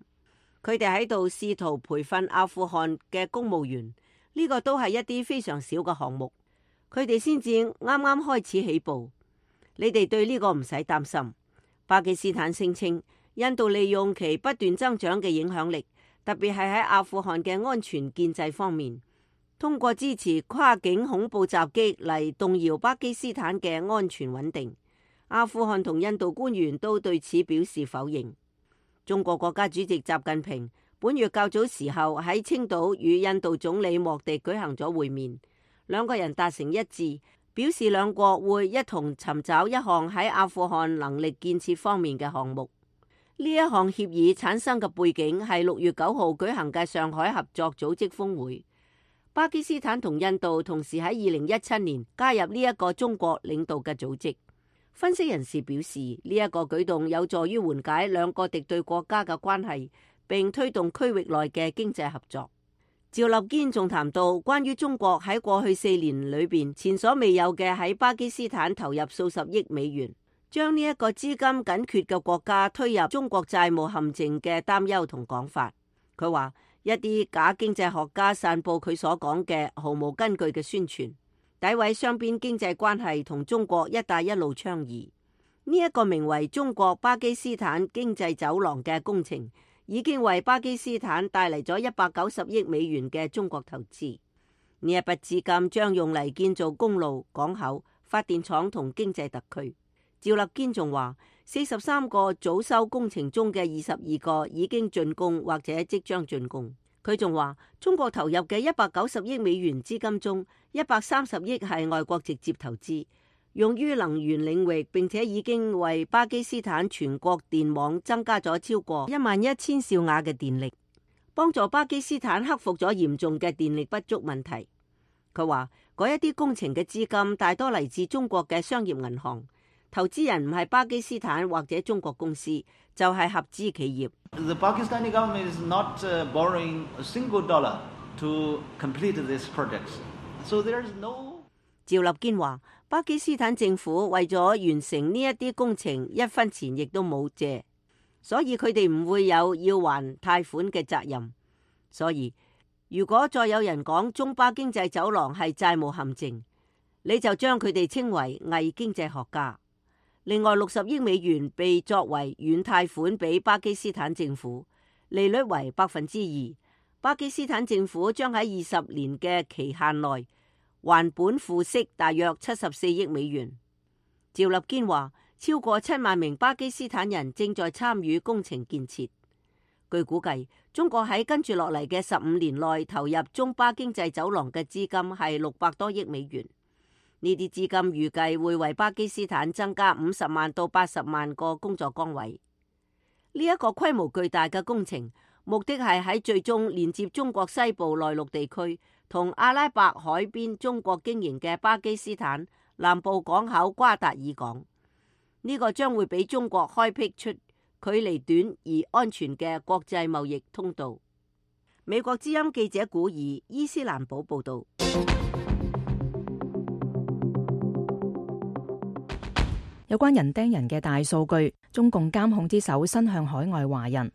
佢哋喺度試圖培訓阿富汗嘅公務員，呢個都係一啲非常小嘅項目。佢哋先至啱啱開始起步，你哋對呢個唔使擔心。巴基斯坦聲稱，印度利用其不斷增長嘅影響力，特別係喺阿富汗嘅安全建制方面，通過支持跨境恐怖襲擊嚟動搖巴基斯坦嘅安全穩定。阿富汗同印度官員都對此表示否認。中國國家主席習近平本月較早時候喺青島與印度總理莫迪舉行咗會面，兩個人達成一致，表示兩國會一同尋找一項喺阿富汗能力建設方面嘅項目。呢一項協議產生嘅背景係6月9號舉行嘅上海合作組織峰會。巴基斯坦同印度同時喺2017年加入呢一個中國領導嘅組織。分析人士表示，呢一個舉動有助於緩解兩個敵對國家嘅關係，並推動區域內嘅經濟合作。趙立堅仲談到關於中國喺過去4年裏邊前所未有嘅喺巴基斯坦投入數十億美元，將呢一個資金緊缺嘅國家推入中國債務陷阱嘅擔憂同講法。佢話一啲假經濟學家散佈佢所講嘅毫無根據嘅宣傳，詆毀雙邊經濟關係同中國一帶一路倡議。呢一個名為中國巴基斯坦經濟走廊嘅工程，已經為巴基斯坦帶嚟咗190億美元嘅中國投資。呢一筆資金將用嚟建造公路、港口、發電廠同經濟特區。趙立堅仲話，43個早收工程中嘅22個已經竣工或者即將竣工。佢仲話，中國投入嘅190億美元資金中，130億係外國直接投資，用於能源領域，並且已經為巴基斯坦全國電網增加咗超過11000兆瓦嘅電力，幫助巴基斯坦克服咗嚴重嘅電力不足問題。佢話，嗰一啲工程嘅資金大多嚟自中國嘅商業銀行，投資人唔係巴基斯坦或者中國公司，就係合資企業。The Pakistani government is not borrowing a single dollar to complete these projects, so there is no. 趙立堅話，巴基斯坦政府為咗完成呢一啲工程，一分錢亦都冇借，所以佢哋唔會有要還貸款嘅責任。所以如果再有人講中巴經濟走廊係債務陷阱，你就將佢哋稱為偽經濟學家。另外60億美元被作為軟貸款俾巴基斯坦政府，利率為2%。巴基斯坦政府將喺20年嘅期限內還本付息大約74億美元。趙立堅話，超過7萬名巴基斯坦人正在參與工程建設。據估計，中國喺跟住落嚟嘅15年內投入中巴經濟走廊嘅資金係600多億美元。呢啲資金預計會為巴基斯坦增加50萬到80萬個工作崗位。呢一個規模巨大嘅工程，目的係喺最終連接中國西部內陸地區同阿拉伯海邊中國經營嘅巴基斯坦南部港口瓜達爾港。呢個將會俾中國開闢出距離短而安全嘅國際貿易通道。美國之音記者古爾伊斯蘭堡報道。有關人盯人嘅大數據，中共監控之手伸向海外華人。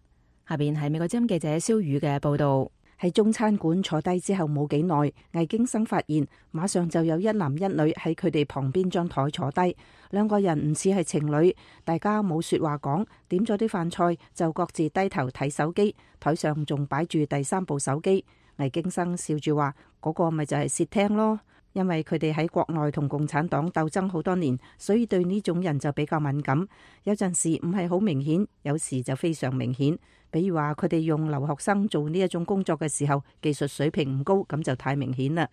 下邊係美國之音記者蕭宇嘅報道。喺喺中餐館坐低之後冇幾耐，魏京生發現馬上就有一男一女喺佢哋旁邊張台坐低，兩個人唔似係情侶，大家冇說話講，點咗啲飯菜就各自低頭睇手機，台上仲擺住第三部手機。魏京生笑住話：嗰個咪就係竊聽咯。因為佢哋喺國內同共產黨鬥爭好多年，所以對呢種人就比較敏感。有陣時唔係好明顯，有時就非常明顯。比如話佢哋用留學生做呢一種工作嘅時候，技術水平唔高，咁就太明顯啦。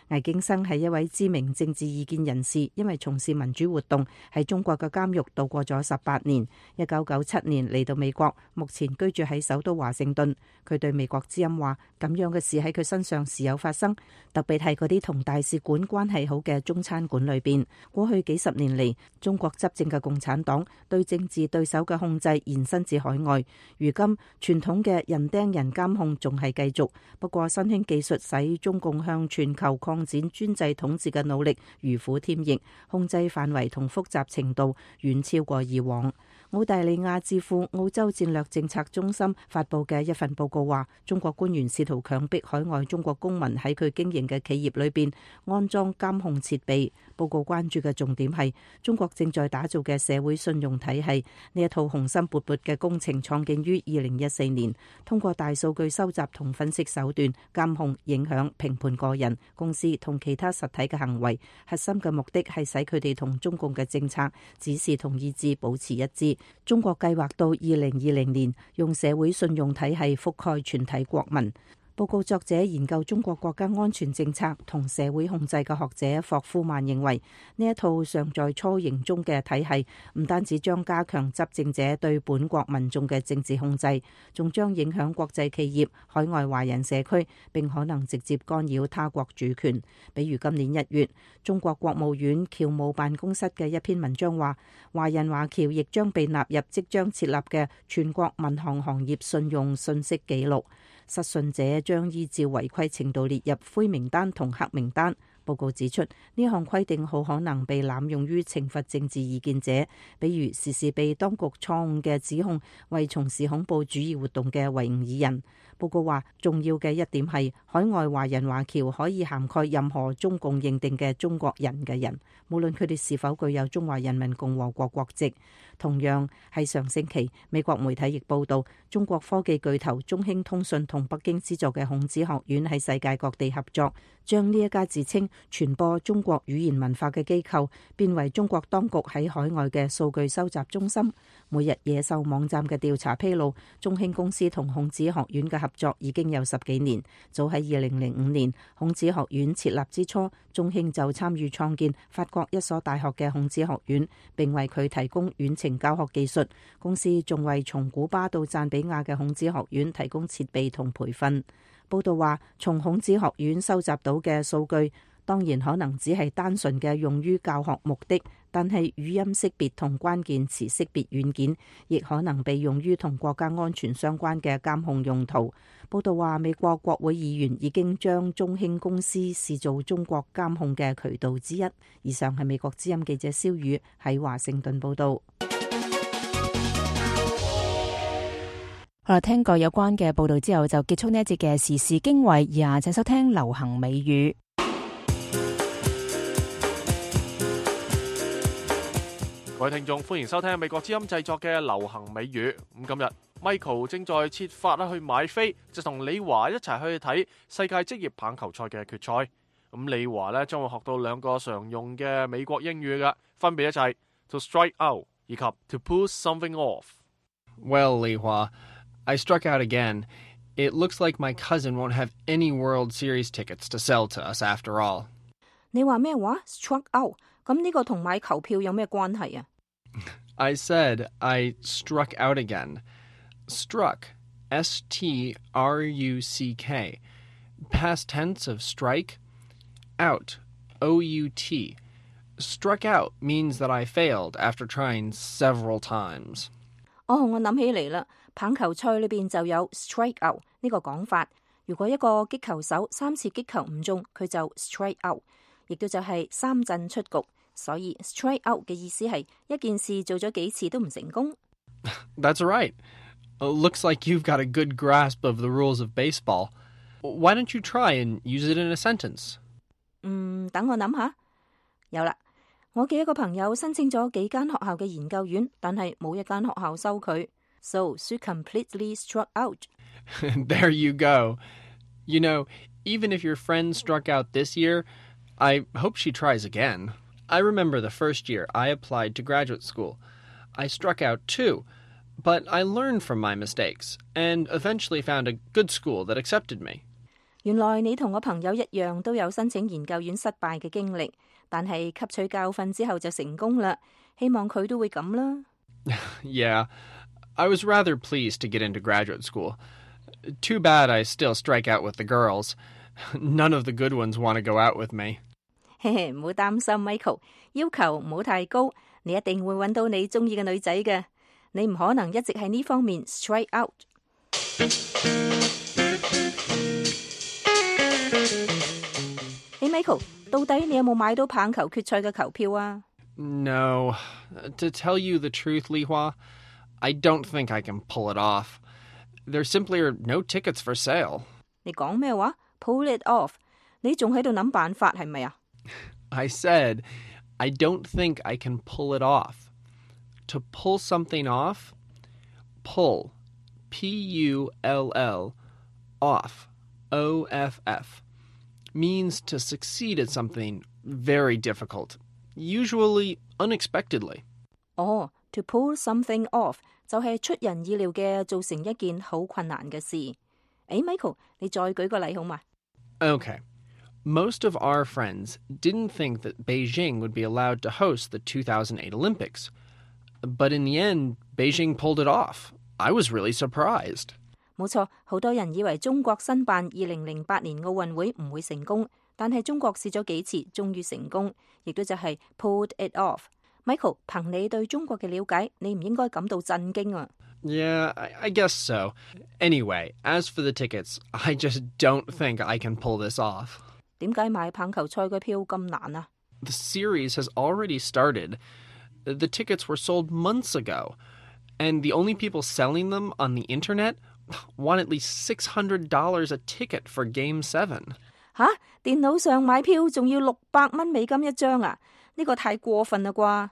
魏京生係一位知名政治意見人士，因為從事民主活動，喺中國嘅監獄度過咗18年。1997年嚟到美國，目前居住喺首都華盛頓。佢對美國之音話：咁樣嘅事喺佢身上時有發生，特別係嗰啲同大使館關係好嘅中餐館裏邊。過去幾十年嚟，中國執政嘅共產黨對政治對手嘅控制延伸至海外。如今傳統嘅人盯人監控仲係繼續，不過新興技術使中共向全球擴展專制統治嘅努力如虎添翼，控制範圍同複雜程度遠超過以往。澳大利亞智庫澳洲戰略政策中心發佈嘅一份報告話，中國官員試圖強迫海外中國公民喺佢經營嘅企業裏邊安裝監控設備。報告關注嘅重點係中國正在打造嘅社會信用體系。呢一套雄心勃勃嘅工程創建於2014年，通過大數據收集同分析手段監控、影響、評判個人、公司同其他實體嘅行為。核心嘅目的係使佢哋同中共嘅政策、指示同意志保持一致。中國計劃到2020年用社會信用體系覆蓋全體國民。報告作者研究中國國家安全政策同社會控制嘅學者霍夫曼認為，呢一套尚在雛形中嘅體系，唔單止將加強執政者對本國民眾嘅政治控制，仲將影響國際企業、海外華人社區，並可能直接干擾他國主權。比如今年1月，中國國務院僑務辦公室嘅一篇文章話，華人華僑亦將被納入即將設立嘅全國民航行業信用信息記錄。失信者將依照違規程度列入灰名單同黑名單。報告指出，呢項規定好可能被濫用於懲罰政治意見者，比如時時被當局錯誤嘅指控為從事恐怖主義活動嘅維吾爾人。報告話，重要嘅一點係海外華人華僑可以涵蓋任何中共認定嘅中國人嘅人，無論佢哋是否具有中華人民共和國國籍。同樣係上星期，美國媒體亦報道，中國科技巨頭中興通訊同北京資助嘅孔子學院喺世界各地合作，將呢一家自稱傳播中國語言文化嘅機構變為中國當局喺海外嘅數據收集中心。每日野獸網站嘅調查披露，中興公司同孔子學院嘅合作已經有10幾年。早喺2005年，孔子學院設立之初，中興就參與創建法國一所大學嘅孔子學院，並為佢提供遠程教學技術。公司仲為從古巴到贊比亞嘅孔子學院提供設備同培訓。報道話，從孔子學院收集到嘅數據，當然可能只係單純嘅用於教學目的，但係語音識別同關鍵詞識別軟件亦可能被用於同國家安全相關嘅監控用途。報道話，美國國會議員已經將中興公司視作中國監控嘅渠道之一。以上係美國之音記者蕭宇喺華盛頓報道。好啦，聽過有關嘅報道之後，就結束呢一節嘅時事經緯，而下請收聽流行美語。各位聽眾，歡迎收聽美國之音製作嘅流行美語。咁今日 Michael 正在設法去買飛，就同李華一齊去睇世界職業棒球賽嘅決賽。咁李華呢將會學到2個常用嘅美國英語嘅，分別就係 to strike out 以及 to pull something off。 Well, Li Hua,I struck out again. It looks like my cousin won't have any World Series tickets to sell to us after all. 你話咩話 ？struck out？ 咁呢個同買球票有咩關係啊？ I said I struck out again. Struck, S-T-R-U-C-K. Past tense of strike. Out, O-U-T. Struck out means that I failed after trying several times. 哦，我諗起嚟啦，棒球賽裏邊就有 strike out 呢個講法。如果一個擊球手3次擊球唔中，佢就 strike out， 亦都就係3振出局。所以 strike out 嘅意思係一件事做咗幾次都唔成功。That's right. Looks like you've got a good grasp of the rules of baseball. Why don't you try and use it in a sentence? 等我諗下。有啦，我嘅一個朋友申請咗幾間學校嘅研究院，但係冇一間學校收佢。So she completely struck out. There you go. You know, even if your friend struck out this year, I hope she tries again. I remember the first year I applied to graduate school. I struck out too, but I learned from my mistakes and eventually found a good school that accepted me. 原來你同我朋友一樣都有申請研究院失敗嘅經歷，但係吸取教訓之後就成功啦。希望佢都會咁啦。Yeah, I was rather pleased to get into graduate school. Too bad I still strike out with the girls. None of the good ones want to go out with me. 嘿嘿，唔好擔心 Michael， 要求唔好太高，你一定會揾到你中意嘅女仔嘅。你唔可能一直喺呢方面 strike out。Hey Michael， 到底你有冇買到棒球決賽嘅球票啊？ No. To tell you the truth, Li Hua, I don't think I can pull it off. There simply are no tickets for sale. 你講咩話 ？Pull it off？ 你仲喺度諗辦法係咪啊？ I said, I don't think I can pull it off. To pull something off, pull, P-U-L-L, off, O-F-F, means to succeed at something very difficult, usually unexpectedly. To pull something off 就係出人意料嘅做成一件好困難嘅事。Michael， 你再舉個例好嘛？ Okay. Most of our friends didn't think that Beijing would be allowed to host the 2008 Olympics. But in the end, Beijing pulled it off. I was really surprised. 冇錯，好多人以為中國申辦2008年奧運會唔會成功，但係中國試咗幾次，終於成功，亦都就係 pulled it off。Michael， 憑你對中國嘅了解，你唔應該感到震驚啊。Yeah, I guess so. Anyway, as for the tickets, I just don't think I can pull this off. 點解買棒球賽嘅票咁難啊？ The series has already started. The tickets were sold months ago, and the only people selling them on the internet want at least $600 a ticket for Game 7. 吓，電腦上買票仲要600蚊美金一張啊？呢個太過分啦啩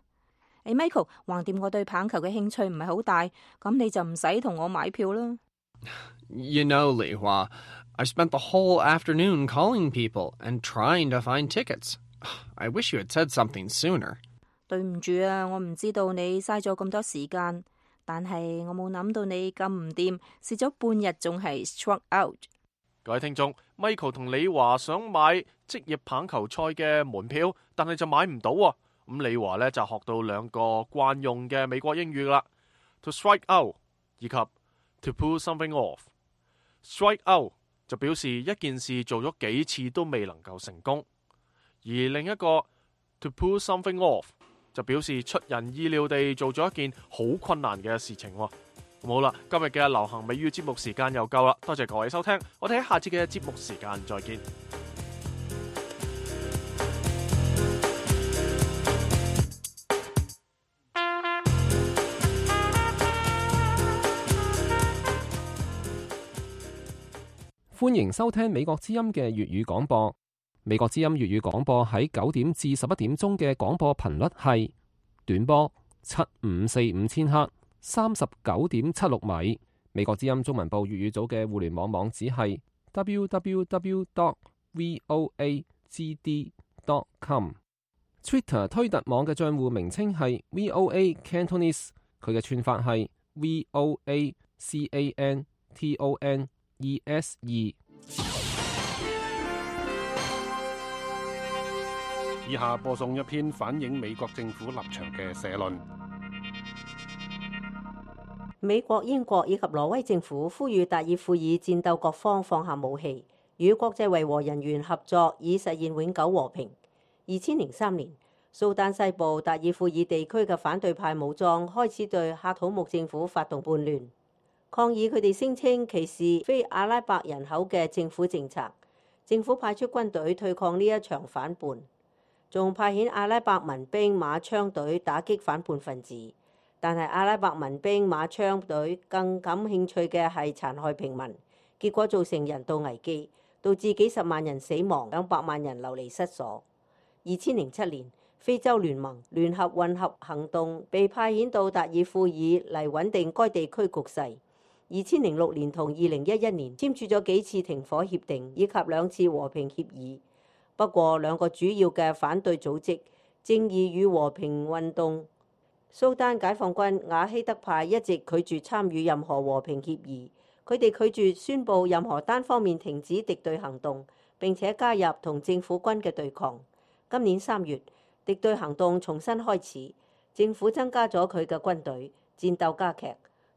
！Michael， 橫掂我對棒球嘅興趣唔係好大，咁你就唔使同我買票啦。You know, Li Hua, I spent the whole afternoon calling people and trying to find tickets. I wish you had said something sooner. 對唔住啊，我唔知道你嘥咗咁多時間，但係我冇諗到你咁唔掂，試咗半日仲係 struck out。各位聽眾 ，Michael 同李華想買職業棒球賽嘅門票，但係就買唔到喎。咁李華呢就學到兩個慣用嘅美國英語啦 ，to strike out 以及 to pull something off。strike out 就表示一件事做咗幾次都未能夠成功，而另一個 to pull something off 就表示出人意料地做咗一件好困難嘅事情喎。好啦，今日嘅流行美語節目時間又夠啦，多謝各位收聽，我哋喺下次嘅節目時間再見。歡迎收聽美國之音嘅粵語廣播。美國之音粵語廣播喺9點至11點鐘嘅廣播頻率係短波7545千赫39.76米。美國之音中文部粵語組嘅互聯網網址係 www.voagd.com。Twitter 推特網嘅帳戶名稱係 VOA Cantonese， 佢嘅串法係 VOACANTONESE。以下播送一篇反映美國政府立場嘅社論。美國、英國以及挪威政府呼籲達爾富爾戰鬥各方放下武器，與國際維和人員合作，以實現永久和平。2003年，蘇丹西部達爾富爾地區嘅反對派武裝開始對喀土穆政府發動叛亂，抗議佢哋聲稱歧視非阿拉伯人口嘅政府政策。政府派出軍隊對抗呢一場反叛，仲派遣阿拉伯民兵馬槍隊打擊反叛分子。但係阿拉伯民兵馬槍隊更感興趣嘅係殘害平民，結果造成人道危機，導致幾十萬人死亡，200萬人流離失所。2007年，非洲聯盟聯合混合行動被派遣到達爾富爾嚟穩定該地區局勢。2006年同2011年簽署咗幾次停火協定以及2次和平協議。不過兩個主要嘅反對組織正義與和平運動蘇丹解放軍瓦希德派一直拒絕參與任何和平協議，佢哋拒絕宣布任何單方面停止敵對行動，並且加入同政府軍嘅對抗。今年3月，敵對行動重新開始，政府增加咗佢嘅軍隊，戰鬥加劇。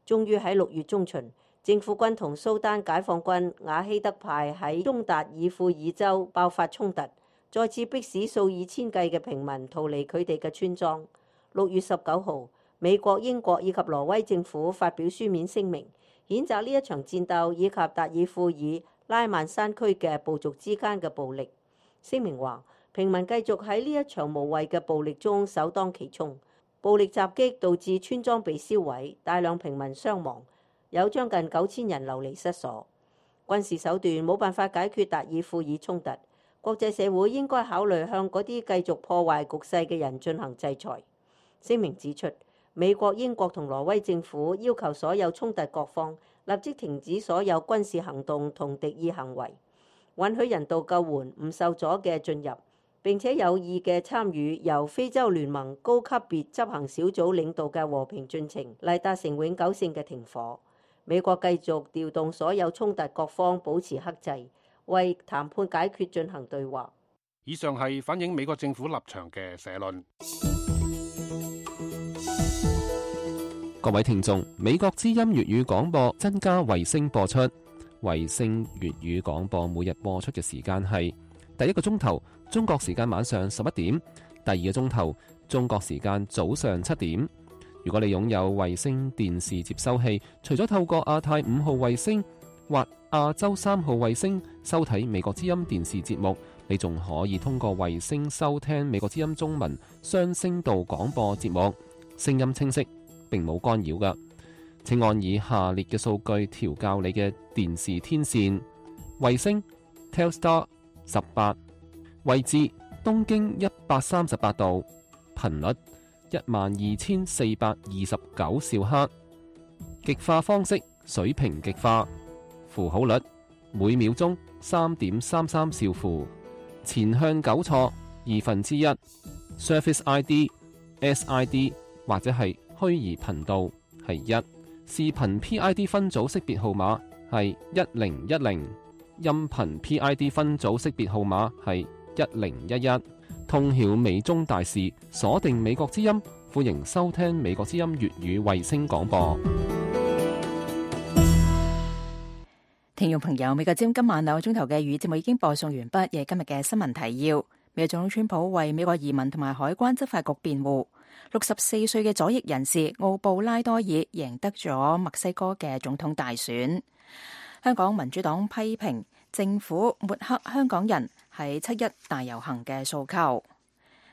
終於喺6月中旬，政府軍同蘇丹解放軍瓦希德派喺中達爾富爾州爆發衝突，再次迫使數以千計嘅平民逃離佢哋嘅村莊。6月19號，美國、英國以及挪威政府發表書面聲明，譴責呢一場戰鬥以及達爾富爾拉曼山區嘅部族之間嘅暴力。聲明話，平民繼續喺呢一場無謂嘅暴力中首當其衝，暴力襲擊導致村莊被燒毀，大量平民傷亡，有將近9000人流離失所。軍事手段冇辦法解決達爾富爾衝突，國際社會應該考慮向嗰啲繼續破壞局勢嘅人進行制裁。聲明指出，美國、英國同挪威政府要求所有衝突各方立即停止所有軍事行動同敵意行為，允許人道救援唔受阻嘅進入，並且有意嘅參與由非洲聯盟高級別執行小組領導嘅和平進程，嚟達成永久性嘅停火。美國繼續調動所有衝突各方保持克制，為談判解決進行對話。以上係反映美國政府立場嘅社論。各位聽眾，美國之音粵語廣播增加衛星播出，衛星粵語廣播每日播出嘅時間係第一個鐘頭中國時間晚上11點，第二個鐘頭中國時間早上7點。如果你擁有衛星電視接收器，除咗透過亞太5號衛星或亞洲3號衛星收睇美國之音電視節目，你仲可以通過衛星收聽美國之音中文雙聲道廣播節目，聲音清晰，並冇干擾㗎。請按以下列嘅數據調校你嘅電視天線：衛星 Telstar 18，位置東經138度，頻率12429兆赫，極化方式水平極化，符號率每秒鐘3.33兆符，前向糾錯1/2， Surface ID SID 或者係虛擬頻道係1，視頻 PID 分組識別號碼係1010，音頻 PID 分組識別號碼係1011。通曉美中大事，鎖定美國之音，歡迎收聽美國之音粵語衛星廣播。聽眾朋友，美國之音今晚2個鐘頭嘅語節目已經播送完畢，亦係今日嘅新聞提要。美國總統川普為美國移民同埋海關執法局辯護。64歲嘅左翼人士奧布拉多爾贏得咗墨西哥嘅總統大選。香港民主黨批評政府抹黑香港人喺7·1大遊行嘅訴求。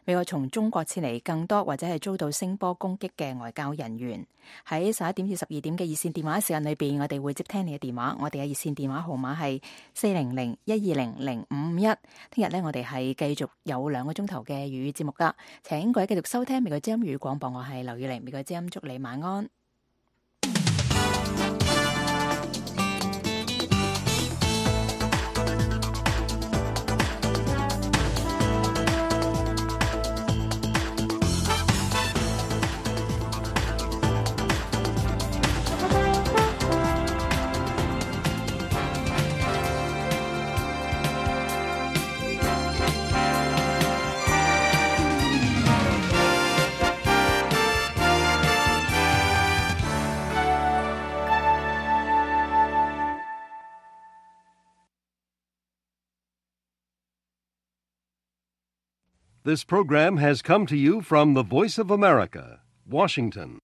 美國從中國撤離更多或者係遭到聲波攻擊嘅外交人員。喺11點至12點嘅熱線電話時間裏邊，我哋會接聽你嘅電話。我哋嘅熱線電話號碼係400-120-0551。聽日呢，我哋係繼續有2個鐘頭嘅粵語節目噶。請各位繼續收聽美國之音粵語廣播，我係劉宇玲。美國之音祝你晚安。This program has come to you from the Voice of America, Washington.